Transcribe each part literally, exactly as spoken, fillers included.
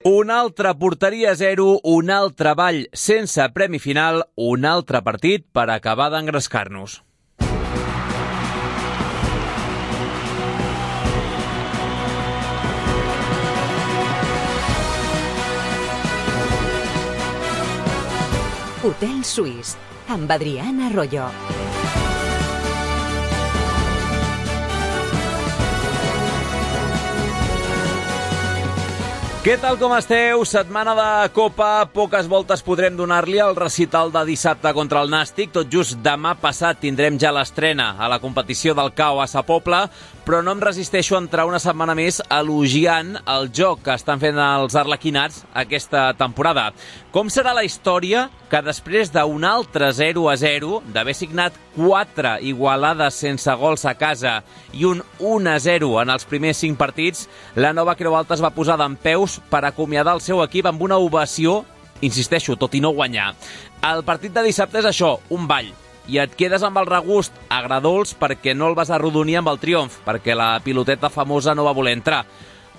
Un altre porteria zero, un altre ball sense premi final, un altre partit per acabar d'engrescar-nos. Hotel Suís, amb Adriana Arroyo. Què tal, com esteu? Setmana de Copa, poques voltes podrem donar-li al recital de dissabte contra el Nàstic. Tot just demà passat tindrem ja l'estrena a la competició del C A O a Sa Pobla, però no em resisteixo a entrar una setmana més elogiant el joc que estan fent els arlequinats aquesta temporada. Com serà la història que després d'un altre zero a zero, d'haver signat quatre igualades sense gols a casa i un un a zero en els primers cinc partits, la nova Creu Alta es va posar dempeus per acomiadar el seu equip amb una ovació, insisteixo, tot i no guanyar. El partit de dissabte és això, un ball, i et quedes amb el regust agradolç perquè no el vas arrodonir amb el triomf, perquè la piloteta famosa no va voler entrar.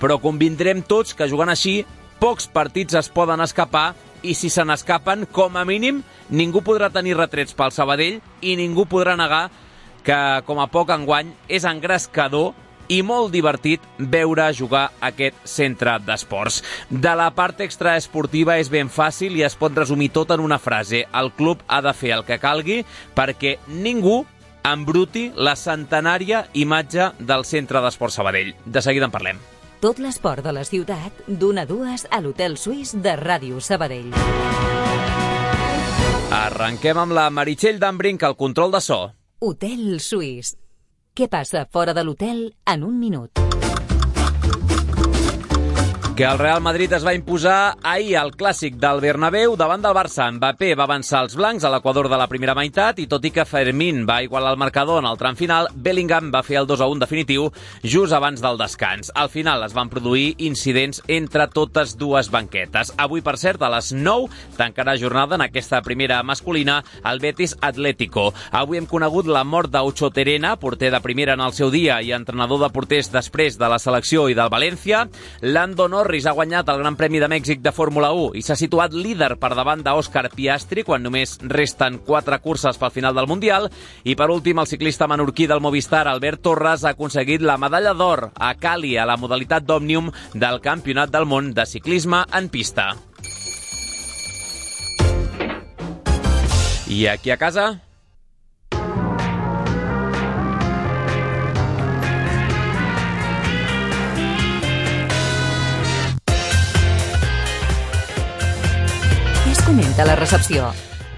Però convindrem tots que jugant així, pocs partits es poden escapar, i si se n'escapen, com a mínim, ningú podrà tenir retrets pel Sabadell i ningú podrà negar que, com a poc enguany, és engrescador i molt divertit veure jugar aquest centre d'esports. De la part extraesportiva és ben fàcil i es pot resumir tot en una frase. El club ha de fer el que calgui perquè ningú embruti la centenària imatge del centre d'esports Sabadell. De seguida en parlem. Tot l'esport de la ciutat, d'una a dues a l'Hotel Suís de Ràdio Sabadell. Arrenquem amb la Meritxell d'Embrinc, al control de so. Hotel Suís. Què passa fora de l'hotel en un minut? Que el Real Madrid es va imposar ahir al clàssic del Bernabéu davant del Barça. Mbappé va avançar els blancs a l'equador de la primera meitat i tot i que Fermín va igualar el marcador en el tram final, Bellingham va fer el dos a un definitiu just abans del descans. Al final es van produir incidents entre totes dues banquetes. Avui, per cert, a les nou tancarà jornada en aquesta primera masculina el Betis Atlético. Avui hem conegut la mort d'Aucho Terena, porter de primera en el seu dia i entrenador de porters després de la selecció i del València. Lando Norris ha guanyat el Gran Premi de Mèxic de Fórmula u i s'ha situat líder per davant d'Òscar Piastri quan només resten quatre curses pel final del Mundial. I per últim, el ciclista menorquí del Movistar, Albert Torres, ha aconseguit la medalla d'or a Cali a la modalitat d'Òmnium del Campionat del Món de Ciclisme en pista. I aquí a casa... Comenta la recepció.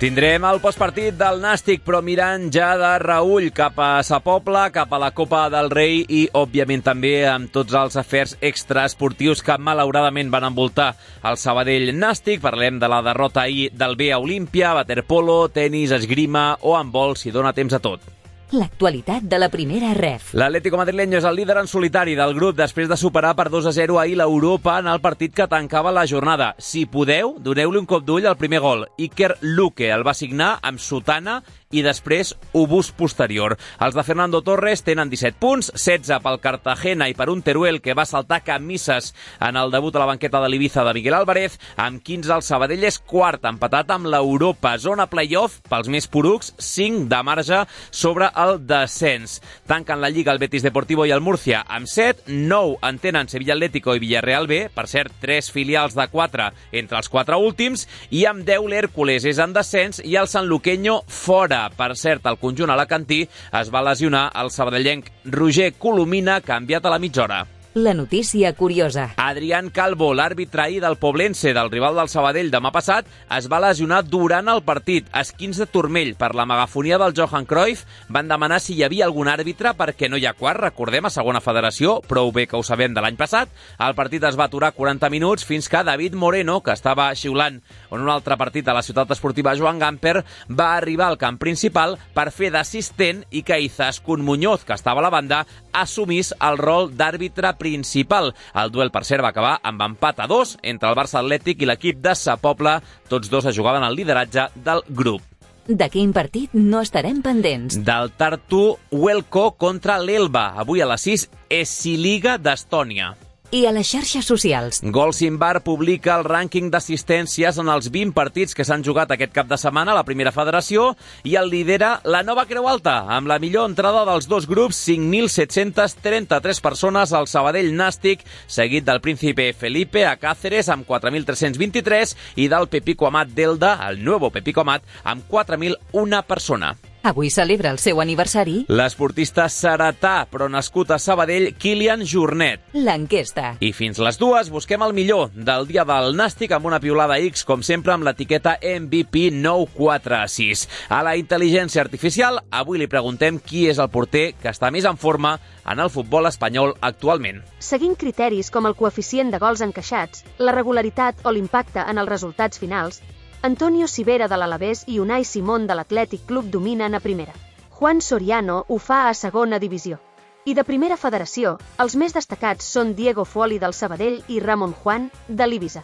Tindrem el postpartit del Nàstic, però mirant ja de reüll cap a Sa Pobla, cap a la Copa del Rei i, òbviament, també amb tots els afers extraesportius que malauradament van envoltar el Sabadell Nàstic. Parlem de la derrota ahir del B a Olímpia, waterpolo, tenis, esgrima o handbol, si dona temps a tot. L'actualitat de la primera ref. L'Atlético madrileño és el líder en solitari del grup després de superar per dos a zero ahir l'Europa en el partit que tancava la jornada. Si podeu, doneu-li un cop d'ull al primer gol. Iker Luque el va signar amb sotana i després obús posterior. Els de Fernando Torres tenen disset punts, setze pel Cartagena i per un Teruel que va saltar camises en el debut a la banqueta de l'Ibiza de Miguel Álvarez. Amb quinze el Sabadell és quart, empatat amb l'Europa. Zona playoff, pels més porucs, cinc de marge sobre el descens. Tanquen la Lliga el Betis Deportivo i el Murcia amb set, nou en tenen Sevilla Atlético i Villarreal B, per cert, tres filials de quatre entre els quatre últims, i amb deu l'Hèrcules és en descens i el Sanluqueño fora. Per cert, el conjunt alacantí es va lesionar el sabadellenc Roger Colomina, canviat a la mitja hora. La notícia curiosa. Adrián Calvo, l'àrbitre ahir del Poblense, del rival del Sabadell demà passat, es va lesionar durant el partit. Esquins de turmell per la megafonia del Johan Cruyff. Van demanar si hi havia algun àrbitre perquè no hi ha quart, recordem, a segona federació, prou bé que ho sabem de l'any passat. El partit es va aturar quaranta minuts fins que David Moreno, que estava xiulant en un altre partit a la ciutat esportiva Joan Gamper, va arribar al camp principal per fer d'assistent i que Izaskun Muñoz, que estava a la banda, assumís el rol d'àrbitre principal. El duel, per cert, va acabar amb empat a dos entre el Barça Atlètic i l'equip de Sa Pobla. Tots dos es jugaven el lideratge del grup. De quin partit no estarem pendents? Del Tartu Huelco contra l'Elba. Avui a les sis, Esiliga d'Estònia. i a les xarxes socials. Golsimbar publica el rànquing d'assistències en els vint partits que s'han jugat aquest cap de setmana a la primera federació i el lidera la Nova Creu Alta, amb la millor entrada dels dos grups, cinc mil set-cents trenta-tres persones al Sabadell Nàstic, seguit del Príncipe Felipe a Cáceres amb quatre mil tres-cents vint-i-tres i del Pepico Amat d'Elda, el Nuevo Pepico Amat, amb quatre mil una persona. Avui celebra el seu aniversari L'esportista seretà, però nascut a Sabadell, Kilian Jornet. l'enquesta. I fins les dues busquem el millor del dia del Nàstic amb una piulada X, com sempre, amb l'etiqueta M V P nou quatre sis. A la intel·ligència artificial, avui li preguntem qui és el porter que està més en forma en el futbol espanyol actualment. Seguint criteris com el coeficient de gols encaixats, la regularitat o l'impacte en els resultats finals, Antonio Sivera de l'Alavés i Unai Simón de l'Atlètic Club dominen a primera. Juan Soriano ho fa a segona divisió. I de primera federació, els més destacats són Diego Fuoli del Sabadell i Ramon Juan de l'Ibiza.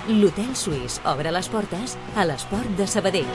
L'Hotel Suís obre les portes a l'esport de Sabadell.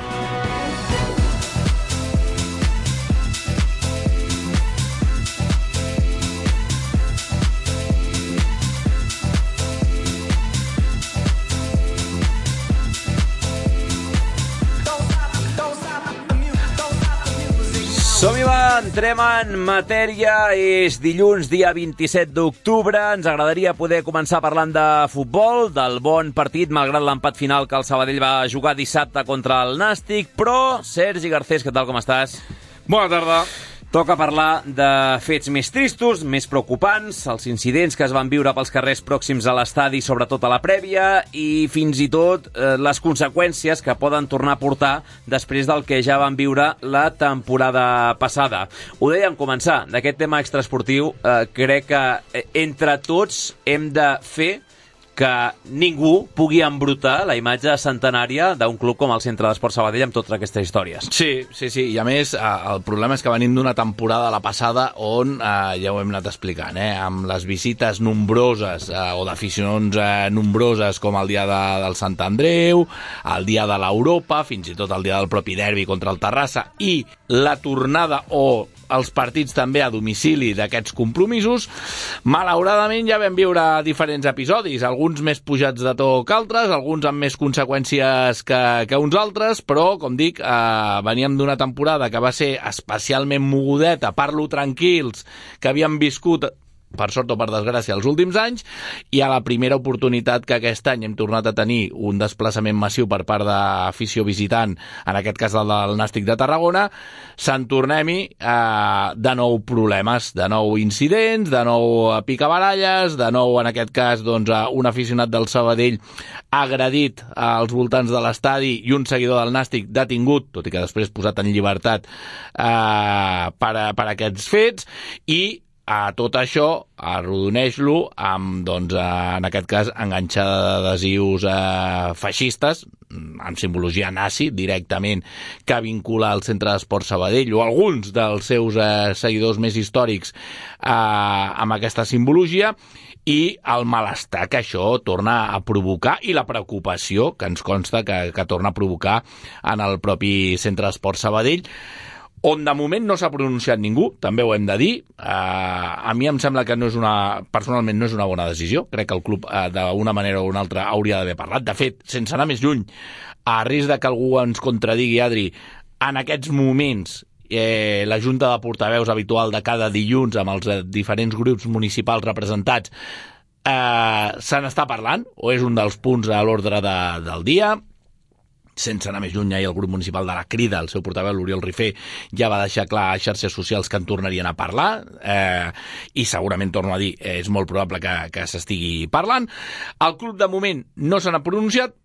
Som-hi, va, entrem en matèria. És dilluns, dia vint-i-set d'octubre. Ens agradaria poder començar parlant de futbol, del bon partit, malgrat l'empat final que el Sabadell va jugar dissabte contra el Nàstic. Però, Sergi Garcés, què tal, com estàs? Bona tarda. Toca parlar de fets més tristos, més preocupants, els incidents que es van viure pels carrers pròxims a l'estadi, sobretot a la prèvia, i fins i tot eh, les conseqüències que poden tornar a portar després del que ja van viure la temporada passada. Ho dèiem començar, d'aquest tema extraesportiu, eh, crec que eh, entre tots hem de fer que ningú pugui embrutar la imatge centenària d'un club com el Centre d'Esport Sabadell amb totes aquestes històries. Sí, sí, sí, i a més el problema és que venim d'una temporada, la passada, on, eh, ja ho hem anat explicant, eh, amb les visites nombroses eh, o d'aficions eh, nombroses com el dia de, del Sant Andreu, el dia de l'Europa, fins i tot el dia del propi derbi contra el Terrassa, i la tornada o els partits també a domicili d'aquests compromisos, malauradament ja vam viure diferents episodis, alguns més pujats de to que altres, alguns amb més conseqüències que, que uns altres, però, com dic, eh, veníem d'una temporada que va ser especialment mogudeta, parlo tranquils, que havíem viscut, per sort o per desgràcia, els últims anys, i a la primera oportunitat que aquest any hem tornat a tenir un desplaçament massiu per part d'afició visitant, en aquest cas el del Nàstic de Tarragona, se'n tornem-hi eh, de nou problemes, de nou incidents, de nou picabaralles, de nou, en aquest cas, doncs, un aficionat del Sabadell agredit als voltants de l'estadi i un seguidor del Nàstic detingut, tot i que després posat en llibertat eh, per, per aquests fets, i a tot això, arrodoneix-lo amb, doncs, en aquest cas, enganxada d'adhesius eh, feixistes, amb simbologia nazi, directament, que vincula el Centre d'Esport Sabadell o alguns dels seus eh, seguidors més històrics eh, amb aquesta simbologia, i el malestar que això torna a provocar i la preocupació que ens consta que, que torna a provocar en el propi Centre d'Esport Sabadell, on de moment no s'ha pronunciat ningú, també ho hem de dir. Uh, a mi em sembla que no és una, personalment no és una bona decisió. Crec que el club uh, d'una manera o una altra hauria d'haver parlat. De fet, sense anar més lluny, a risc de que algú ens contradigui, Adri, en aquests moments eh, la Junta de Portaveus habitual de cada dilluns amb els eh, diferents grups municipals representats eh, se n'està parlant, o és un dels punts a l'ordre de, del dia. Sense anar més lluny, ahir el grup municipal de la Crida, el seu portaveu, l'Oriol Rifé, ja va deixar clar a xarxes socials que en tornarien a parlar, eh, i segurament, torno a dir, és molt probable que, que s'estigui parlant. El club, de moment, no se n'ha pronunciat.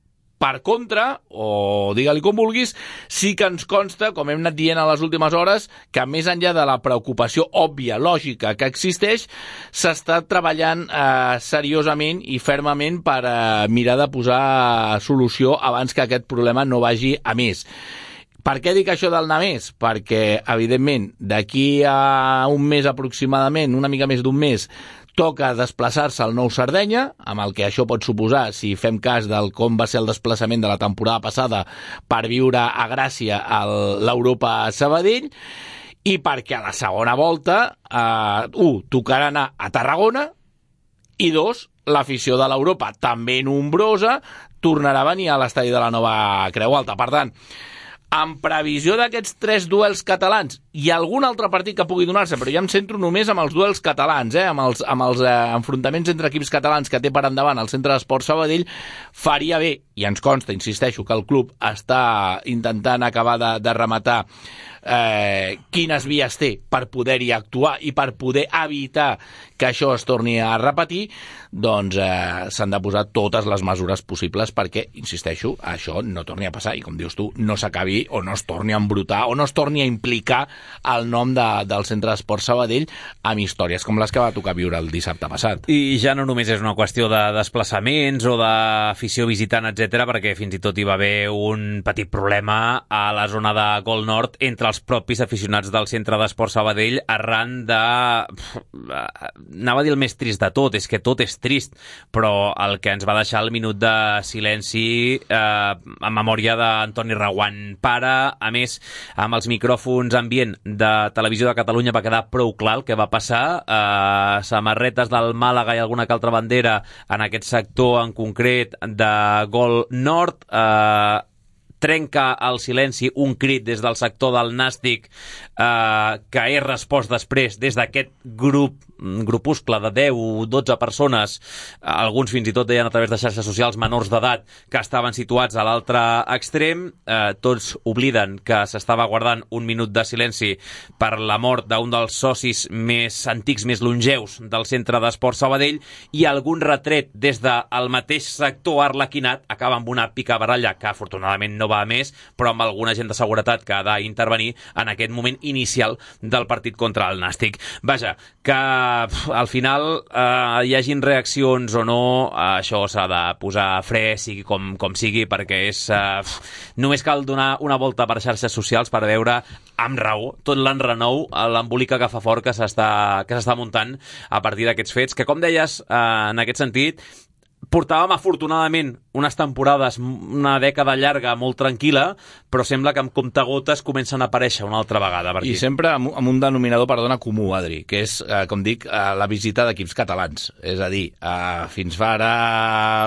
Per contra, o digue-li com vulguis, sí que ens consta, com hem anat dient a les últimes hores, que més enllà de la preocupació òbvia, lògica, que existeix, s'està treballant eh, seriosament i fermament per eh, mirar de posar solució abans que aquest problema no vagi a més. Per què dic això del anar més? Perquè, evidentment, d'aquí a un mes aproximadament, una mica més d'un mes, toca desplaçar-se al Nou Sardenya, amb el que això pot suposar, si fem cas del com va ser el desplaçament de la temporada passada per viure a Gràcia l'Europa a Sabadell, i perquè a la segona volta, eh, un, tocarà anar a Tarragona, I dos, l'afició de l'Europa, també nombrosa, tornarà a venir a l'estadi de la Nova Creu Alta. Per tant, en previsió d'aquests tres duels catalans i algun altre partit que pugui donar-se, però ja em centro només amb els duels catalans, eh? amb els, amb els eh, enfrontaments entre equips catalans que té per endavant el Centre d'Esports Sabadell, faria bé, i ens consta, insisteixo, que el club està intentant acabar de, de rematar eh, quines vies té per poder-hi actuar i per poder evitar que això es torni a repetir, doncs eh, s'han de posar totes les mesures possibles perquè, insisteixo, això no torni a passar i, com dius tu, no s'acabi o no es torni a embrutar o no es torni a implicar el nom de, del Centre d'Esports Sabadell amb històries com les que va tocar viure el dissabte passat. I ja no només és una qüestió de desplaçaments o d'afició visitant, etcètera, perquè fins i tot hi va haver un petit problema a la zona de Gol Nord entre els propis aficionats del Centre d'Esports Sabadell arran de... Anava a dir el més trist de tot, és que tot és trist, però el que ens va deixar el minut de silenci eh, en memòria d'Antoni Reguant pare, a més, amb els micròfons ambient de Televisió de Catalunya va quedar prou clar el que va passar, eh, samarretes del Màlaga i alguna que altra bandera en aquest sector en concret de Gol Nord, eh, trenca el silenci un crit des del sector del Nàstic eh, que és respost després des d'aquest grup grupuscle de deu o dotze persones, alguns fins i tot deien a través de xarxes socials menors d'edat que estaven situats a l'altre extrem. Eh, tots obliden que s'estava guardant un minut de silenci per la mort d'un dels socis més antics, més longeus del Centre d'Esports Sabadell, i algun retret des del mateix sector arlequinat acaba amb una picabaralla que afortunadament no va a més, però amb alguna gent de seguretat que ha d'intervenir en aquest moment inicial del partit contra el Nàstic. Vaja, que al final eh, hi hagin reaccions o no, eh, això s'ha de posar fre, sigui com, com sigui, perquè és eh, només cal donar una volta per xarxes socials per veure amb raó tot l'enrenou, l'embolica que fa fort que s'està que s'està muntant a partir d'aquests fets, que com deies, eh, en aquest sentit portàvem afortunadament unes temporades, una dècada llarga molt tranquil·la, però sembla que amb comptagotes comencen a aparèixer una altra vegada per aquí. I sempre amb, amb un denominador, perdona, comú, Adri, que és, eh, com dic, eh, la visita d'equips catalans. És a dir, eh, fins fa ara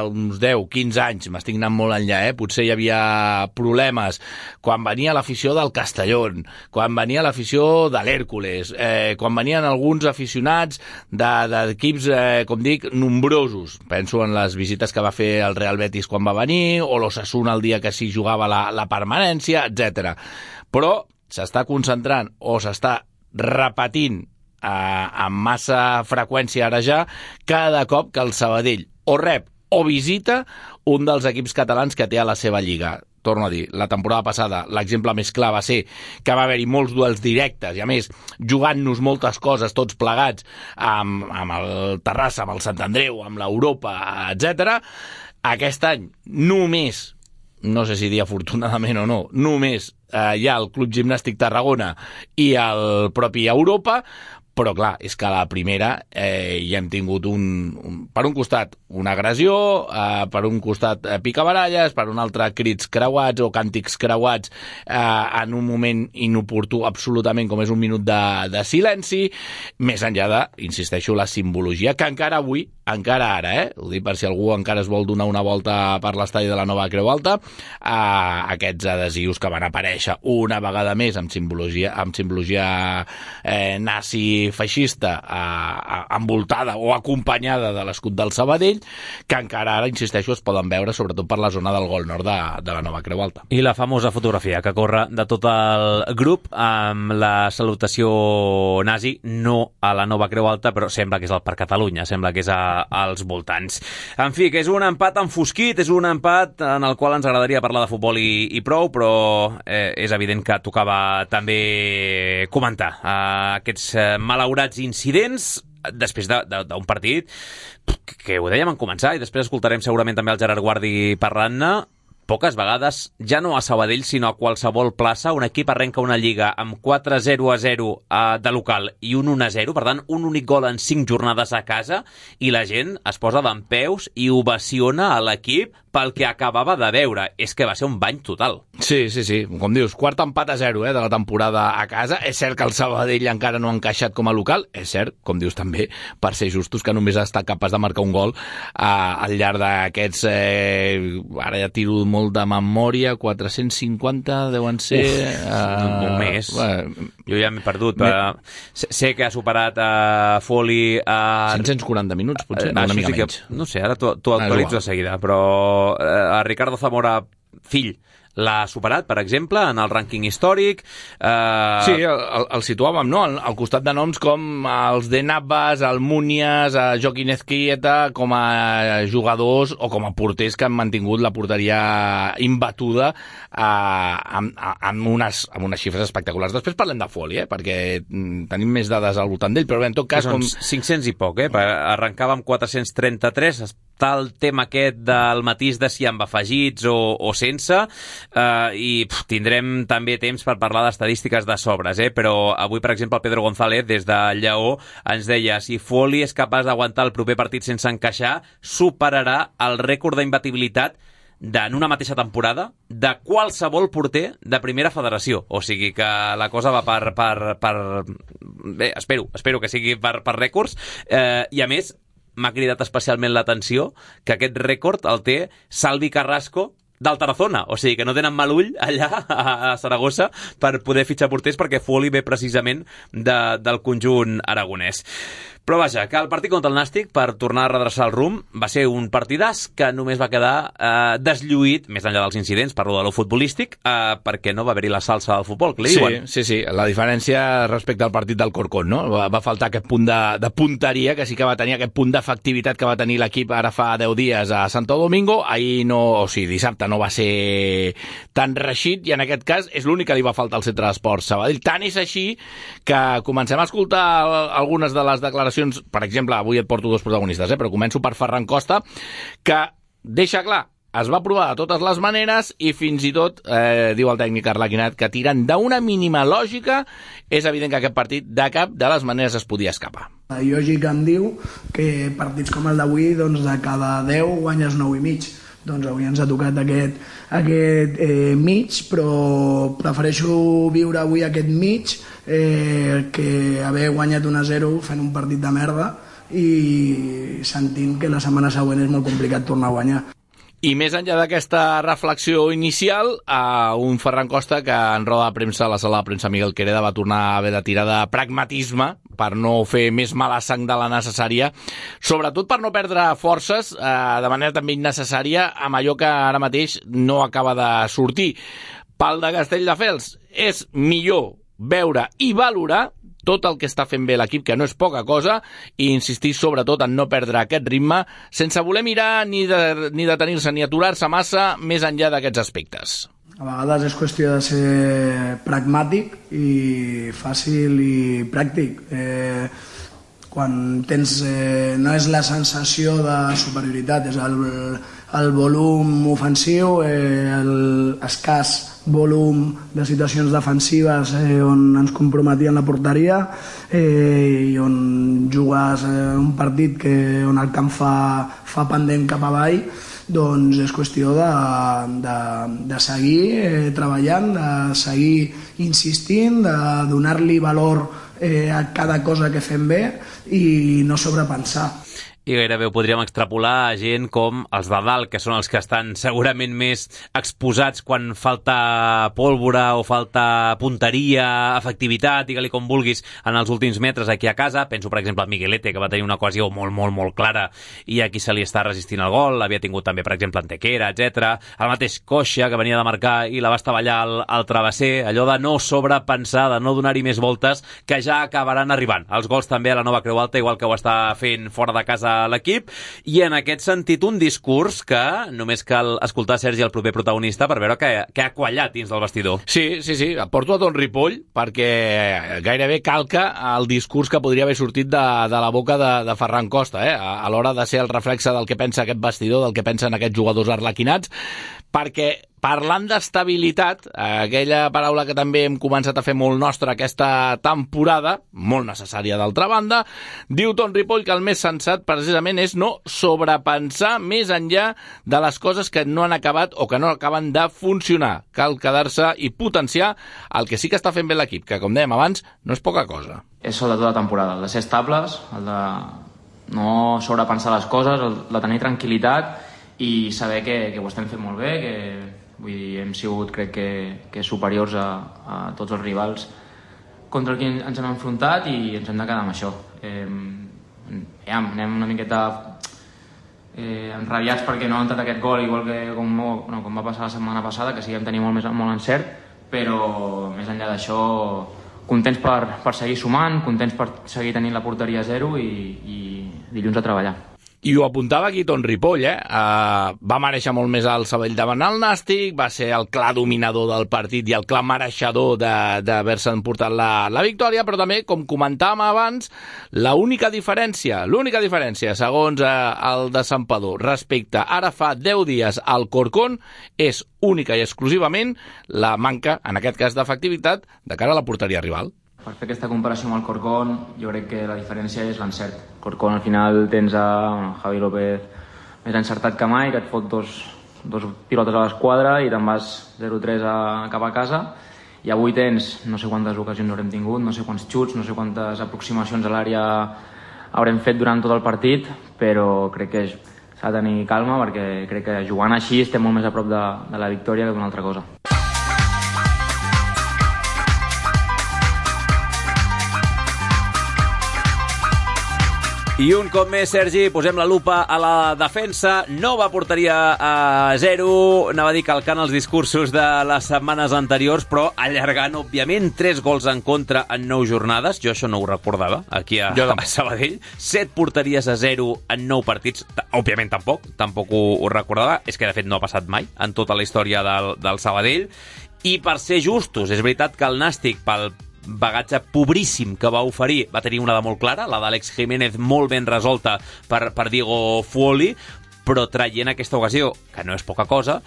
uns deu, quinze anys, m'estic anant molt enllà, eh? Potser hi havia problemes quan venia l'afició del Castellón, quan venia l'afició de l'Hèrcules, eh, quan venien alguns aficionats d'equips, de, eh, com dic, nombrosos. Penso en les visites que va fer el Real Betis quan va venir, o l'Osasuna el dia que s'hi jugava la, la permanència, etcètera. Però s'està concentrant o s'està repetint eh, amb massa freqüència ara ja cada cop que el Sabadell o rep o visita un dels equips catalans que té a la seva lliga. Torno a dir, la temporada passada l'exemple més clar va ser que va haver-hi molts duels directes i, a més, jugant-nos moltes coses tots plegats amb, amb el Terrassa, amb el Sant Andreu, amb l'Europa, etcètera. Aquest any només, no sé si dir afortunadament o no, només eh, hi ha el Club Gimnàstic Tarragona i el propi Europa, però clar, és que a la primera eh, ja hem tingut un, un, per un costat una agressió, eh, per un costat eh, picabaralles, per un altre crits creuats o càntics creuats eh, en un moment inoportú absolutament com és un minut de, de silenci, més enllà de, insisteixo, la simbologia que encara avui, encara ara, eh, ho dic per si algú encara es vol donar una volta per l'estadi de la Nova Creu Alta, eh, aquests adhesius que van aparèixer una vegada més amb simbologia, amb simbologia eh, nazi feixista eh, envoltada o acompanyada de l'escut del Sabadell, que encara ara, insisteixo, es poden veure sobretot per la zona del Gol Nord de, de la Nova Creu Alta. I la famosa fotografia que corre de tot el grup amb la salutació nazi, no a la Nova Creu Alta, però sembla que és el Parc Catalunya, sembla que és a, als voltants. En fi, que és un empat enfosquit, és un empat en el qual ens agradaria parlar de futbol i, i prou, però eh, és evident que tocava també comentar eh, aquests eh, malaurats incidents després d'un partit que ho dèiem en començar i després escoltarem segurament també el Gerard Guardi parlant-ne. Poques vegades, ja no a Sabadell, sinó a qualsevol plaça, un equip arrenca una lliga amb quatre zero a zero de local i un un a zero, per tant, un únic gol en cinc jornades a casa, i la gent es posa dempeus i ovaciona a l'equip pel que acabava de veure. És que va ser un bany total. Sí, sí, sí. Com dius, quart empat a zero eh, de la temporada a casa. És cert que el Sabadell encara no ha encaixat com a local. És cert, com dius també, per ser justos, que només ha estat capaç de marcar un gol eh, al llarg d'aquests... Eh, ara ja tiro molt de memòria, quatre-cents cinquanta deuen ser... Uf, eh, molt més. Eh, jo ja m'he perdut. Però sé que ha superat a uh, Foley a... cinc-cents quaranta minuts, potser, uh, una mica sí que, menys. no sé, ara t'ho actualitzo de seguida, però uh, a Ricardo Zamora, fill, l'ha superat, per exemple, en el rànquing històric. Eh... Sí, el, el, el situàvem, no?, al, al costat de noms com els de Navas, el Munias, el Joaquín Ezquieta, com a jugadors o com a porters que han mantingut la porteria imbatuda eh, amb, amb, unes, amb unes xifres espectaculars. Després parlem de Foley, eh, perquè tenim més dades al voltant d'ell, però bé, en tot cas... Són com... cinc-cents i poc, eh? Arrencava amb quatre-cents trenta-tres, està el tema aquest del matís de si amb afegits o, o sense, Uh, i pff, tindrem també temps per parlar d'estadístiques de sobres, eh? Però avui, per exemple, el Pedro González, des de Lleó, ens deia si Foley és capaç d'aguantar el proper partit sense encaixar, superarà el rècord d'imbatibilitat en una mateixa temporada de qualsevol porter de primera federació. O sigui que la cosa va per... per, per... Bé, espero, espero que sigui per, per rècords. Eh, I a més, m'ha cridat especialment l'atenció que aquest rècord el té Salvi Carrasco del Tarazona, o sigui que no tenen mal ull allà a Saragossa per poder fitxar porters, perquè Foley ve precisament de, del conjunt aragonès. Però vaja, que el partit contra el Nàstic, per tornar a redreçar el rumb, va ser un partidàs que només va quedar eh, deslluït, més enllà dels incidents, parlo de lo futbolístic, eh, perquè no va haver-hi la salsa del futbol, que li sí, diuen. Sí, sí, la diferència respecte al partit del Corcón, no? Va, va faltar aquest punt de, de punteria, que sí que va tenir aquest punt d'efectivitat que va tenir l'equip ara fa deu dies a Santo Domingo. Ahir no, o sigui, dissabte no va ser tan reixit, i en aquest cas és l'únic que li va faltar al centre d'esports Sabadell. Tant és així que comencem a escoltar algunes de les declaracions. Per exemple, avui et porto dos protagonistes, eh? Però començo per Ferran Costa, que deixa clar, es va provar de totes les maneres i fins i tot, eh, diu el tècnic Arlequinat, que tirant d'una mínima lògica és evident que aquest partit de cap de les maneres es podia escapar. La lògica em diu que partits com el d'avui, doncs de cada deu guanyes nou i mig. Doncs avui ens ha tocat aquest, aquest eh, mig, però prefereixo viure avui aquest mig eh, que haver guanyat un a zero fent un partit de merda i sentint que la setmana següent és molt complicat tornar a guanyar. I més enllà d'aquesta reflexió inicial, a un Ferran Costa que en roda de premsa, a la sala de premsa Miguel Quereda, va tornar a haver de tirar de pragmatisme per no fer més mala sang de la necessària, sobretot per no perdre forces eh, de manera també innecessària amb allò que ara mateix no acaba de sortir. Pel de Castelldefels és millor veure i valorar tot el que està fent bé l'equip, que no és poca cosa, i insistir sobretot en no perdre aquest ritme, sense voler mirar ni, de, ni detenir-se ni aturar-se massa més enllà d'aquests aspectes. A vegades és qüestió de ser pragmàtic i fàcil i pràctic. Eh, quan tens, eh, no és la sensació de superioritat, és el, el volum ofensiu, eh, el escàs volum de situacions defensives eh, on ens comprometien la porteria eh, i on jugues eh, un partit que, on el camp fa, fa pendent cap avall, doncs és qüestió de, de, de seguir eh, treballant, de seguir insistint, de donar-li valor eh, a cada cosa que fem bé i no sobrepensar. I gairebé ho podríem extrapolar a gent com els de dalt, que són els que estan segurament més exposats quan falta pólvora o falta punteria, efectivitat, digue-li com vulguis, en els últims metres aquí a casa. Penso, per exemple, a Miguelete, que va tenir una ocasió molt, molt, molt clara i aquí se li està resistint el gol. Havia tingut també, per exemple, Antequera, etcètera. El mateix Coixa, que venia de marcar i la va estavellar al, al travesser. Allò de no sobrepensar, de no donar-hi més voltes, que ja acabaran arribant. Els gols també a la Nova Creu Alta, igual que ho està fent fora de casa l'equip, i en aquest sentit un discurs que només cal escoltar Sergi, el proper protagonista, per veure que, que ha quallat dins del vestidor. Sí, sí, sí, porto a Don Ripoll perquè gairebé calca el discurs que podria haver sortit de, de la boca de, de Ferran Costa, eh? a, a l'hora de ser el reflexe del que pensa aquest vestidor, del que pensen aquests jugadors arlequinats, perquè parlant d'estabilitat, aquella paraula que també hem començat a fer molt nostra aquesta temporada, molt necessària d'altra banda, diu Ton Ripoll que el més sensat precisament és no sobrepensar més enllà de les coses que no han acabat o que no acaben de funcionar. Cal quedar-se i potenciar el que sí que està fent bé l'equip, que com dèiem abans, no és poca cosa. És el de tota la temporada, el de ser estables, el de no sobrepensar les coses, el de tenir tranquil·litat i saber que, que ho estem fent molt bé, que vull dir, hem sigut, crec que, que superiors a, a tots els rivals contra el que ens hem enfrontat i ens hem de quedar amb això. Eh, ja, anem una miqueta eh, enrabiats perquè no ha entrat aquest gol, igual que com, no, com va passar la setmana passada, que sí que vam tenir molt, més, molt encert, però més enllà d'això, contents per, per seguir sumant, contents per seguir tenint la porteria a zero i, i dilluns a treballar. I ho apuntava aquí Ton Ripoll, eh? Uh, va mereixer molt més el Sabadell davant el Nàstic, va ser el clar dominador del partit i el clar mereixedor d'haver-se emportat la, la victòria, però també, com comentàvem abans, l'única diferència, l'única diferència, segons uh, el de Santpedor, respecte ara fa deu dies al Corcón, és única i exclusivament la manca, en aquest cas d'efectivitat, de cara a la porteria rival. Per fer aquesta comparació amb el Corcón, jo crec que la diferència és l'encert. Corcón al final tens a bueno, Javi López més encertat que mai, que et fot dos, dos pilotes a l'esquadra i te'n vas zero tres a, cap a casa. I avui tens, no sé quantes ocasions haurem tingut, no sé quants xuts, no sé quantes aproximacions a l'àrea haurem fet durant tot el partit, però crec que s'ha de tenir calma perquè crec que jugant així estem molt més a prop de, de la victòria que d'una altra cosa. I un cop més, Sergi, posem la lupa a la defensa. Nova porteria a zero. Anava a dir calcant els discursos de les setmanes anteriors, però allargant, òbviament, tres gols en contra en nou jornades. Jo això no ho recordava, aquí a, a Sabadell. Set porteries a zero en nou partits. Òbviament, tampoc. Tampoc ho, ho recordava. És que, de fet, no ha passat mai en tota la història del, del Sabadell. I per ser justos, és veritat que el Nàstic, pel bagatge pobríssim que va oferir, va tenir una de molt clara, la d'Àlex Jiménez molt ben resolta per, per Diego Fuoli, però traient aquesta ocasió, que no és poca cosa,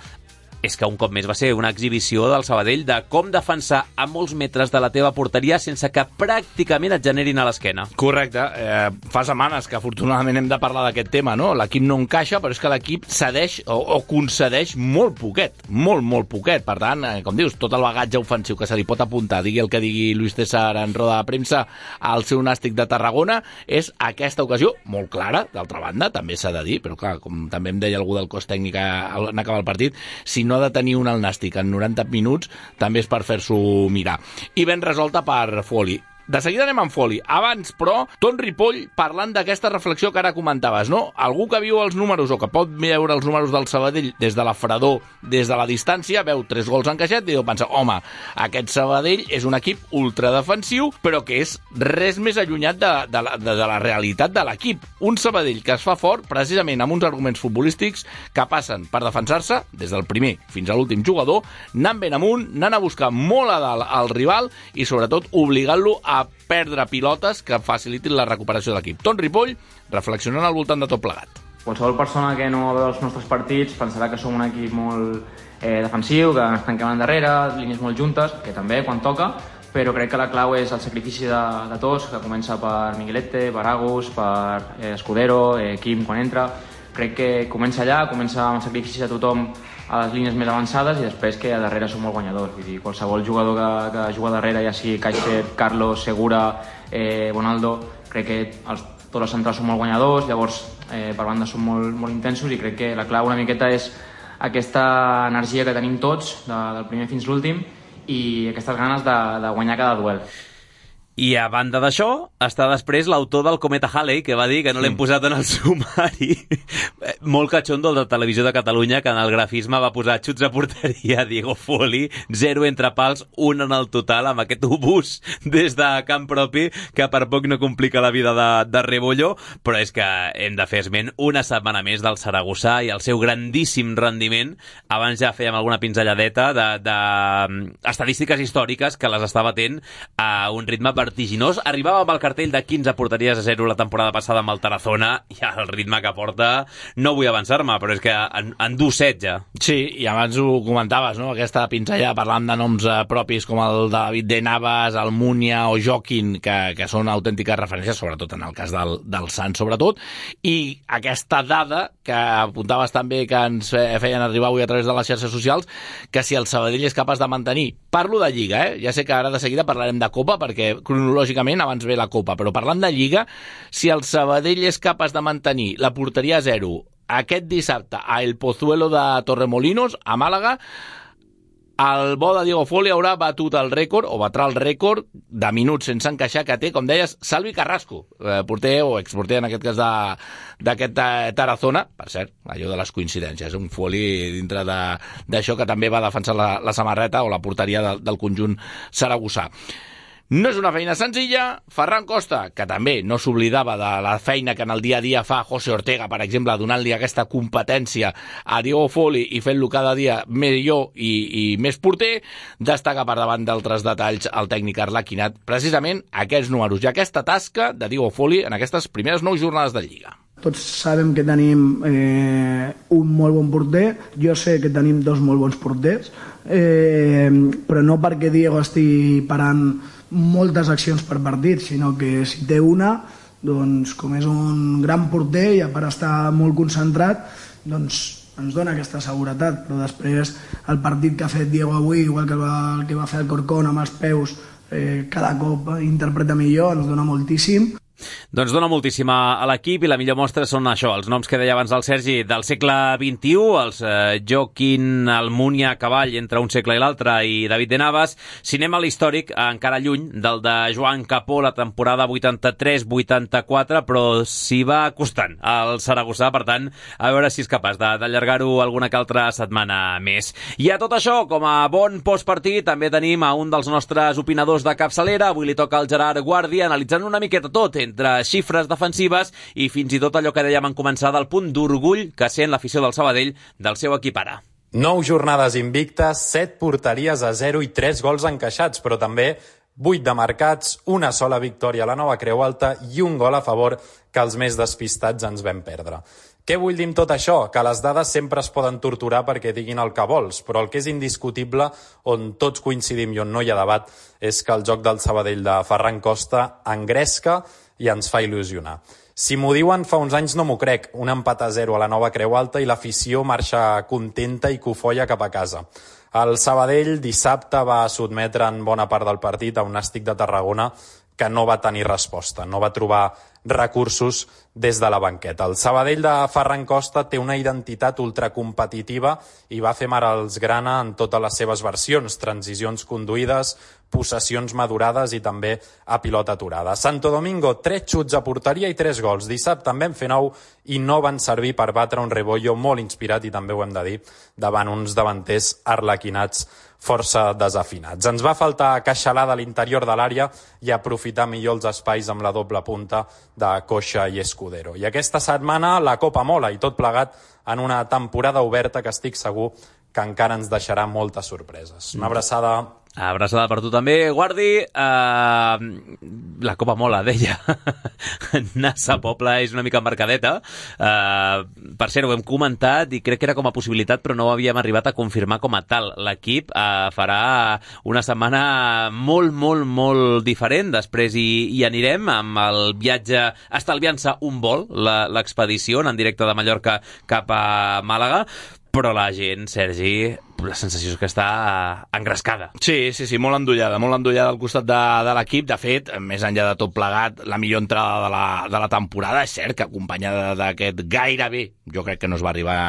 és que un cop més va ser una exhibició del Sabadell de com defensar a molts metres de la teva porteria sense que pràcticament et generin a l'esquena. Correcte. Eh, fa setmanes que afortunadament hem de parlar d'aquest tema, no? L'equip no encaixa, però és que l'equip cedeix o, o concedeix molt poquet, molt, molt poquet. Per tant, eh, com dius, tot el bagatge ofensiu que se li pot apuntar, digui el que digui Luis César en roda de premsa al seu Nàstic de Tarragona, és aquesta ocasió molt clara, d'altra banda, també s'ha de dir, però clar, com també em deia algú del cos tècnic en acabar el partit, si no ha de tenir un al Nàstic en noranta minuts, també és per fer-s'ho mirar. I ben resolta per Fuoli. De seguida anem amb Fuoli. Abans, però, Ton Ripoll parlant d'aquesta reflexió que ara comentaves, no? Algú que viu els números o que pot veure els números del Sabadell des de la fredor, des de la distància, veu tres gols encaixat i deu pensar, home, aquest Sabadell és un equip ultradefensiu, però que és res més allunyat de, de, la, de, de la realitat de l'equip. Un Sabadell que es fa fort precisament amb uns arguments futbolístics que passen per defensar-se des del primer fins a l'últim jugador, anant ben amunt, anant a buscar molt a dalt al rival i sobretot obligant-lo a a perdre pilotes que facilitin la recuperació de l'equip. Ton Ripoll, reflexionant al voltant de tot plegat. Qualsevol persona que no veu els nostres partits pensarà que som un equip molt eh, defensiu, que ens tanquem endarrere, línies molt juntes, que també quan toca, però crec que la clau és el sacrifici de, de tots, que comença per Miguelete, per Agus, per eh, Escudero, eh, Quim quan entra. Crec que comença allà, comença amb el sacrifici de tothom a les línies més avançades i després que a darrere som molt guanyadors. Vull dir, qualsevol jugador que, que juga darrere, ja sigui Caixet, Carlos, Segura, eh, Bonaldo, crec que els, tots els centrals són molt guanyadors, llavors eh, per banda són molt, molt intensos i crec que la clau una miqueta és aquesta energia que tenim tots, de, del primer fins l'últim, i aquestes ganes de, de guanyar cada duel. I a banda d'això, està després l'autor del Cometa Halley, que va dir que no l'hem posat en el sumari. Molt catxondo de Televisió de Catalunya, que en el grafisme va posar xuts a porteria Diego Fuoli, zero entre pals, un en el total, amb aquest obús des de camp propi, que per poc no complica la vida de, de Rebollo, però és que hem de fer esment una setmana més del Saragossà i el seu grandíssim rendiment. Abans ja fèiem alguna pinzelladeta de, de estadístiques històriques que les està batent a un ritme per vertiginós. Arribava amb el cartell de quinze porteries a zero la temporada passada amb el Tarazona i el ritme que porta no vull avançar-me, però és que en, en du set ja. Sí, i abans ho comentaves, no? Aquesta pinzellada parlant de noms eh, propis com el de David de Navas, el Múnia o Joaquín, que, que són autèntiques referències, sobretot en el cas del, del Sant, sobretot, i aquesta dada que apuntaves també que ens feien arribar avui a través de les xarxes socials, que si el Sabadell és capaç de mantenir, parlo de Lliga, eh? Ja sé que ara de seguida parlarem de Copa, perquè cronològicament abans ve la Copa, però parlant de Lliga, si el Sabadell és capaç de mantenir la porteria a zero aquest dissabte a El Pozuelo de Torremolinos, a Màlaga, el bo de Diego Foley haurà batut el rècord, o batrà el rècord de minuts sense encaixar que té, com deies, Salvi Carrasco, eh, porter o exporter en aquest cas d'aquest Tarazona. Per cert, allò de les coincidències, un Foley dintre d'això que també va defensar la, la samarreta o la porteria de, del conjunt saragossà. No és una feina senzilla. Ferran Costa, que també no s'oblidava de la feina que en el dia a dia fa José Ortega, per exemple, donant-li aquesta competència a Diego Foley i fent-lo cada dia millor i, i més porter, destaca per davant d'altres detalls el tècnic arlequinat precisament aquests números i aquesta tasca de Diego Foley en aquestes primeres nou jornades de Lliga. Tots sabem que tenim eh, un molt bon porter, jo sé que tenim dos molt bons porters, eh, però no perquè Diego estigui parant moltes accions per partit, sinó que si té una, doncs com és un gran porter i a part estar molt concentrat, doncs ens dona aquesta seguretat. Però després el partit que ha fet Diego avui, igual que va, el que va fer el Corcón amb els peus, eh, cada cop interpreta millor, ens dona moltíssim. Doncs dona moltíssim a l'equip i la millor mostra són això, els noms que deia abans el Sergi del segle vint-i-u, els eh, Joaquín, Almunia, Cavall entre un segle i l'altre i David de Navas. Si anem a l'històric, encara lluny del de Joan Capó la temporada vuitanta-tres vuitanta-quatre, però s'hi va costant al Saragossà, per tant, a veure si és capaç d'allargar-ho alguna que altra setmana més. I a tot això, com a bon postpartit, també tenim a un dels nostres opinadors de capçalera. Avui li toca al Gerard Guàrdia, analitzant una miqueta tot, entre xifres defensives i fins i tot allò que dèiem en començar del punt d'orgull que sent l'afició del Sabadell del seu equip ara. Nou jornades invictes, set porteries a zero i tres gols encaixats, però també vuit de marcats, una sola victòria a la Nova Creu Alta i un gol a favor que els més despistats ens vam perdre. Què vull dir amb tot això? Que les dades sempre es poden torturar perquè diguin el que vols, però el que és indiscutible, on tots coincidim i on no hi ha debat, és que el joc del Sabadell de Ferran Costa engresca i ens fa il·lusionar. Si m'ho diuen fa uns anys no m'ho crec, un empat a zero a la Nova Creu Alta i l'afició marxa contenta i cofoia cap a casa. El Sabadell dissabte va sotmetre en bona part del partit a un Nàstic de Tarragona que no va tenir resposta, no va trobar recursos des de la banqueta. El Sabadell de Ferran Costa té una identitat ultracompetitiva i va fer mar als grana en totes les seves versions, transicions conduïdes, possessions madurades i també a pilota aturada. Santo Domingo, tres xuts a porteria i tres gols. Dissabte en vam fer nou i no van servir per batre un Rebollo molt inspirat, i també ho hem de dir, davant uns davanters arlequinats força desafinats. Ens va faltar queixalada a l'interior de l'àrea i aprofitar millor els espais amb la doble punta de Coixa i Escudero. I aquesta setmana la Copa mola i tot plegat en una temporada oberta que estic segur que encara ens deixarà moltes sorpreses. Una abraçada. Abraçada per tu també, Guardi. Uh, la Copa mola, deia. Nassa Pobla és una mica mercadeta. Uh, per cert, ho hem comentat i crec que era com a possibilitat, però no ho havíem arribat a confirmar com a tal. L'equip uh, farà una setmana molt, molt, molt diferent. Després hi, hi anirem amb el viatge, estalviant-se un vol, l'expedició en directe de Mallorca cap a Màlaga. Però la gent, Sergi, la sensació és que està engrescada. Sí, sí, sí, molt endollada, molt endollada al costat de, de l'equip. De fet, més enllà de tot plegat, la millor entrada de la, de la temporada, és cert que acompanyada d'aquest gairebé, jo crec que no es va arribar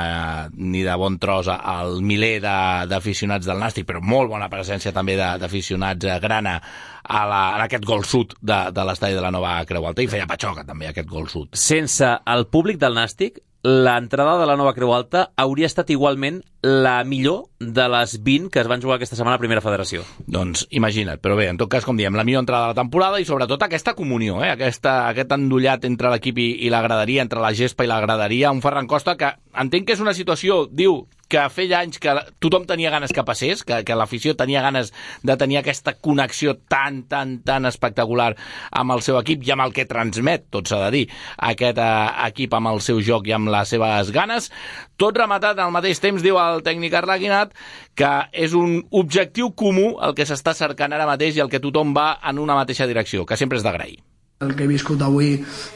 ni de bon tros al miler d'aficionats de, del Nàstic, però molt bona presència també d'aficionats grana a, la, a aquest gol sud de, de l'estadi de la Nova Creu Alta, i feia patxoca també aquest gol sud. Sense el públic del Nàstic, l'entrada de la Nova Creu Alta hauria estat igualment la millor de les vint que es van jugar aquesta setmana a Primera Federació. Doncs imagina't, però bé, en tot cas, com diem, la millor entrada de la temporada i sobretot aquesta comunió, eh? aquesta, aquest endollat entre l'equip i, i la graderia, entre la gespa i la graderia, un Ferran Costa que entenc que és una situació, diu, que feia anys que tothom tenia ganes que passés, que, que l'afició tenia ganes de tenir aquesta connexió tan, tan, tan espectacular amb el seu equip i amb el que transmet, tot s'ha de dir, aquest uh, equip amb el seu joc i amb les seves ganes. Tot rematat al mateix temps, diu el tècnic Arlaguinat, que és un objectiu comú el que s'està cercant ara mateix i el que tothom va en una mateixa direcció, que sempre és d'agrair. El que he viscut avui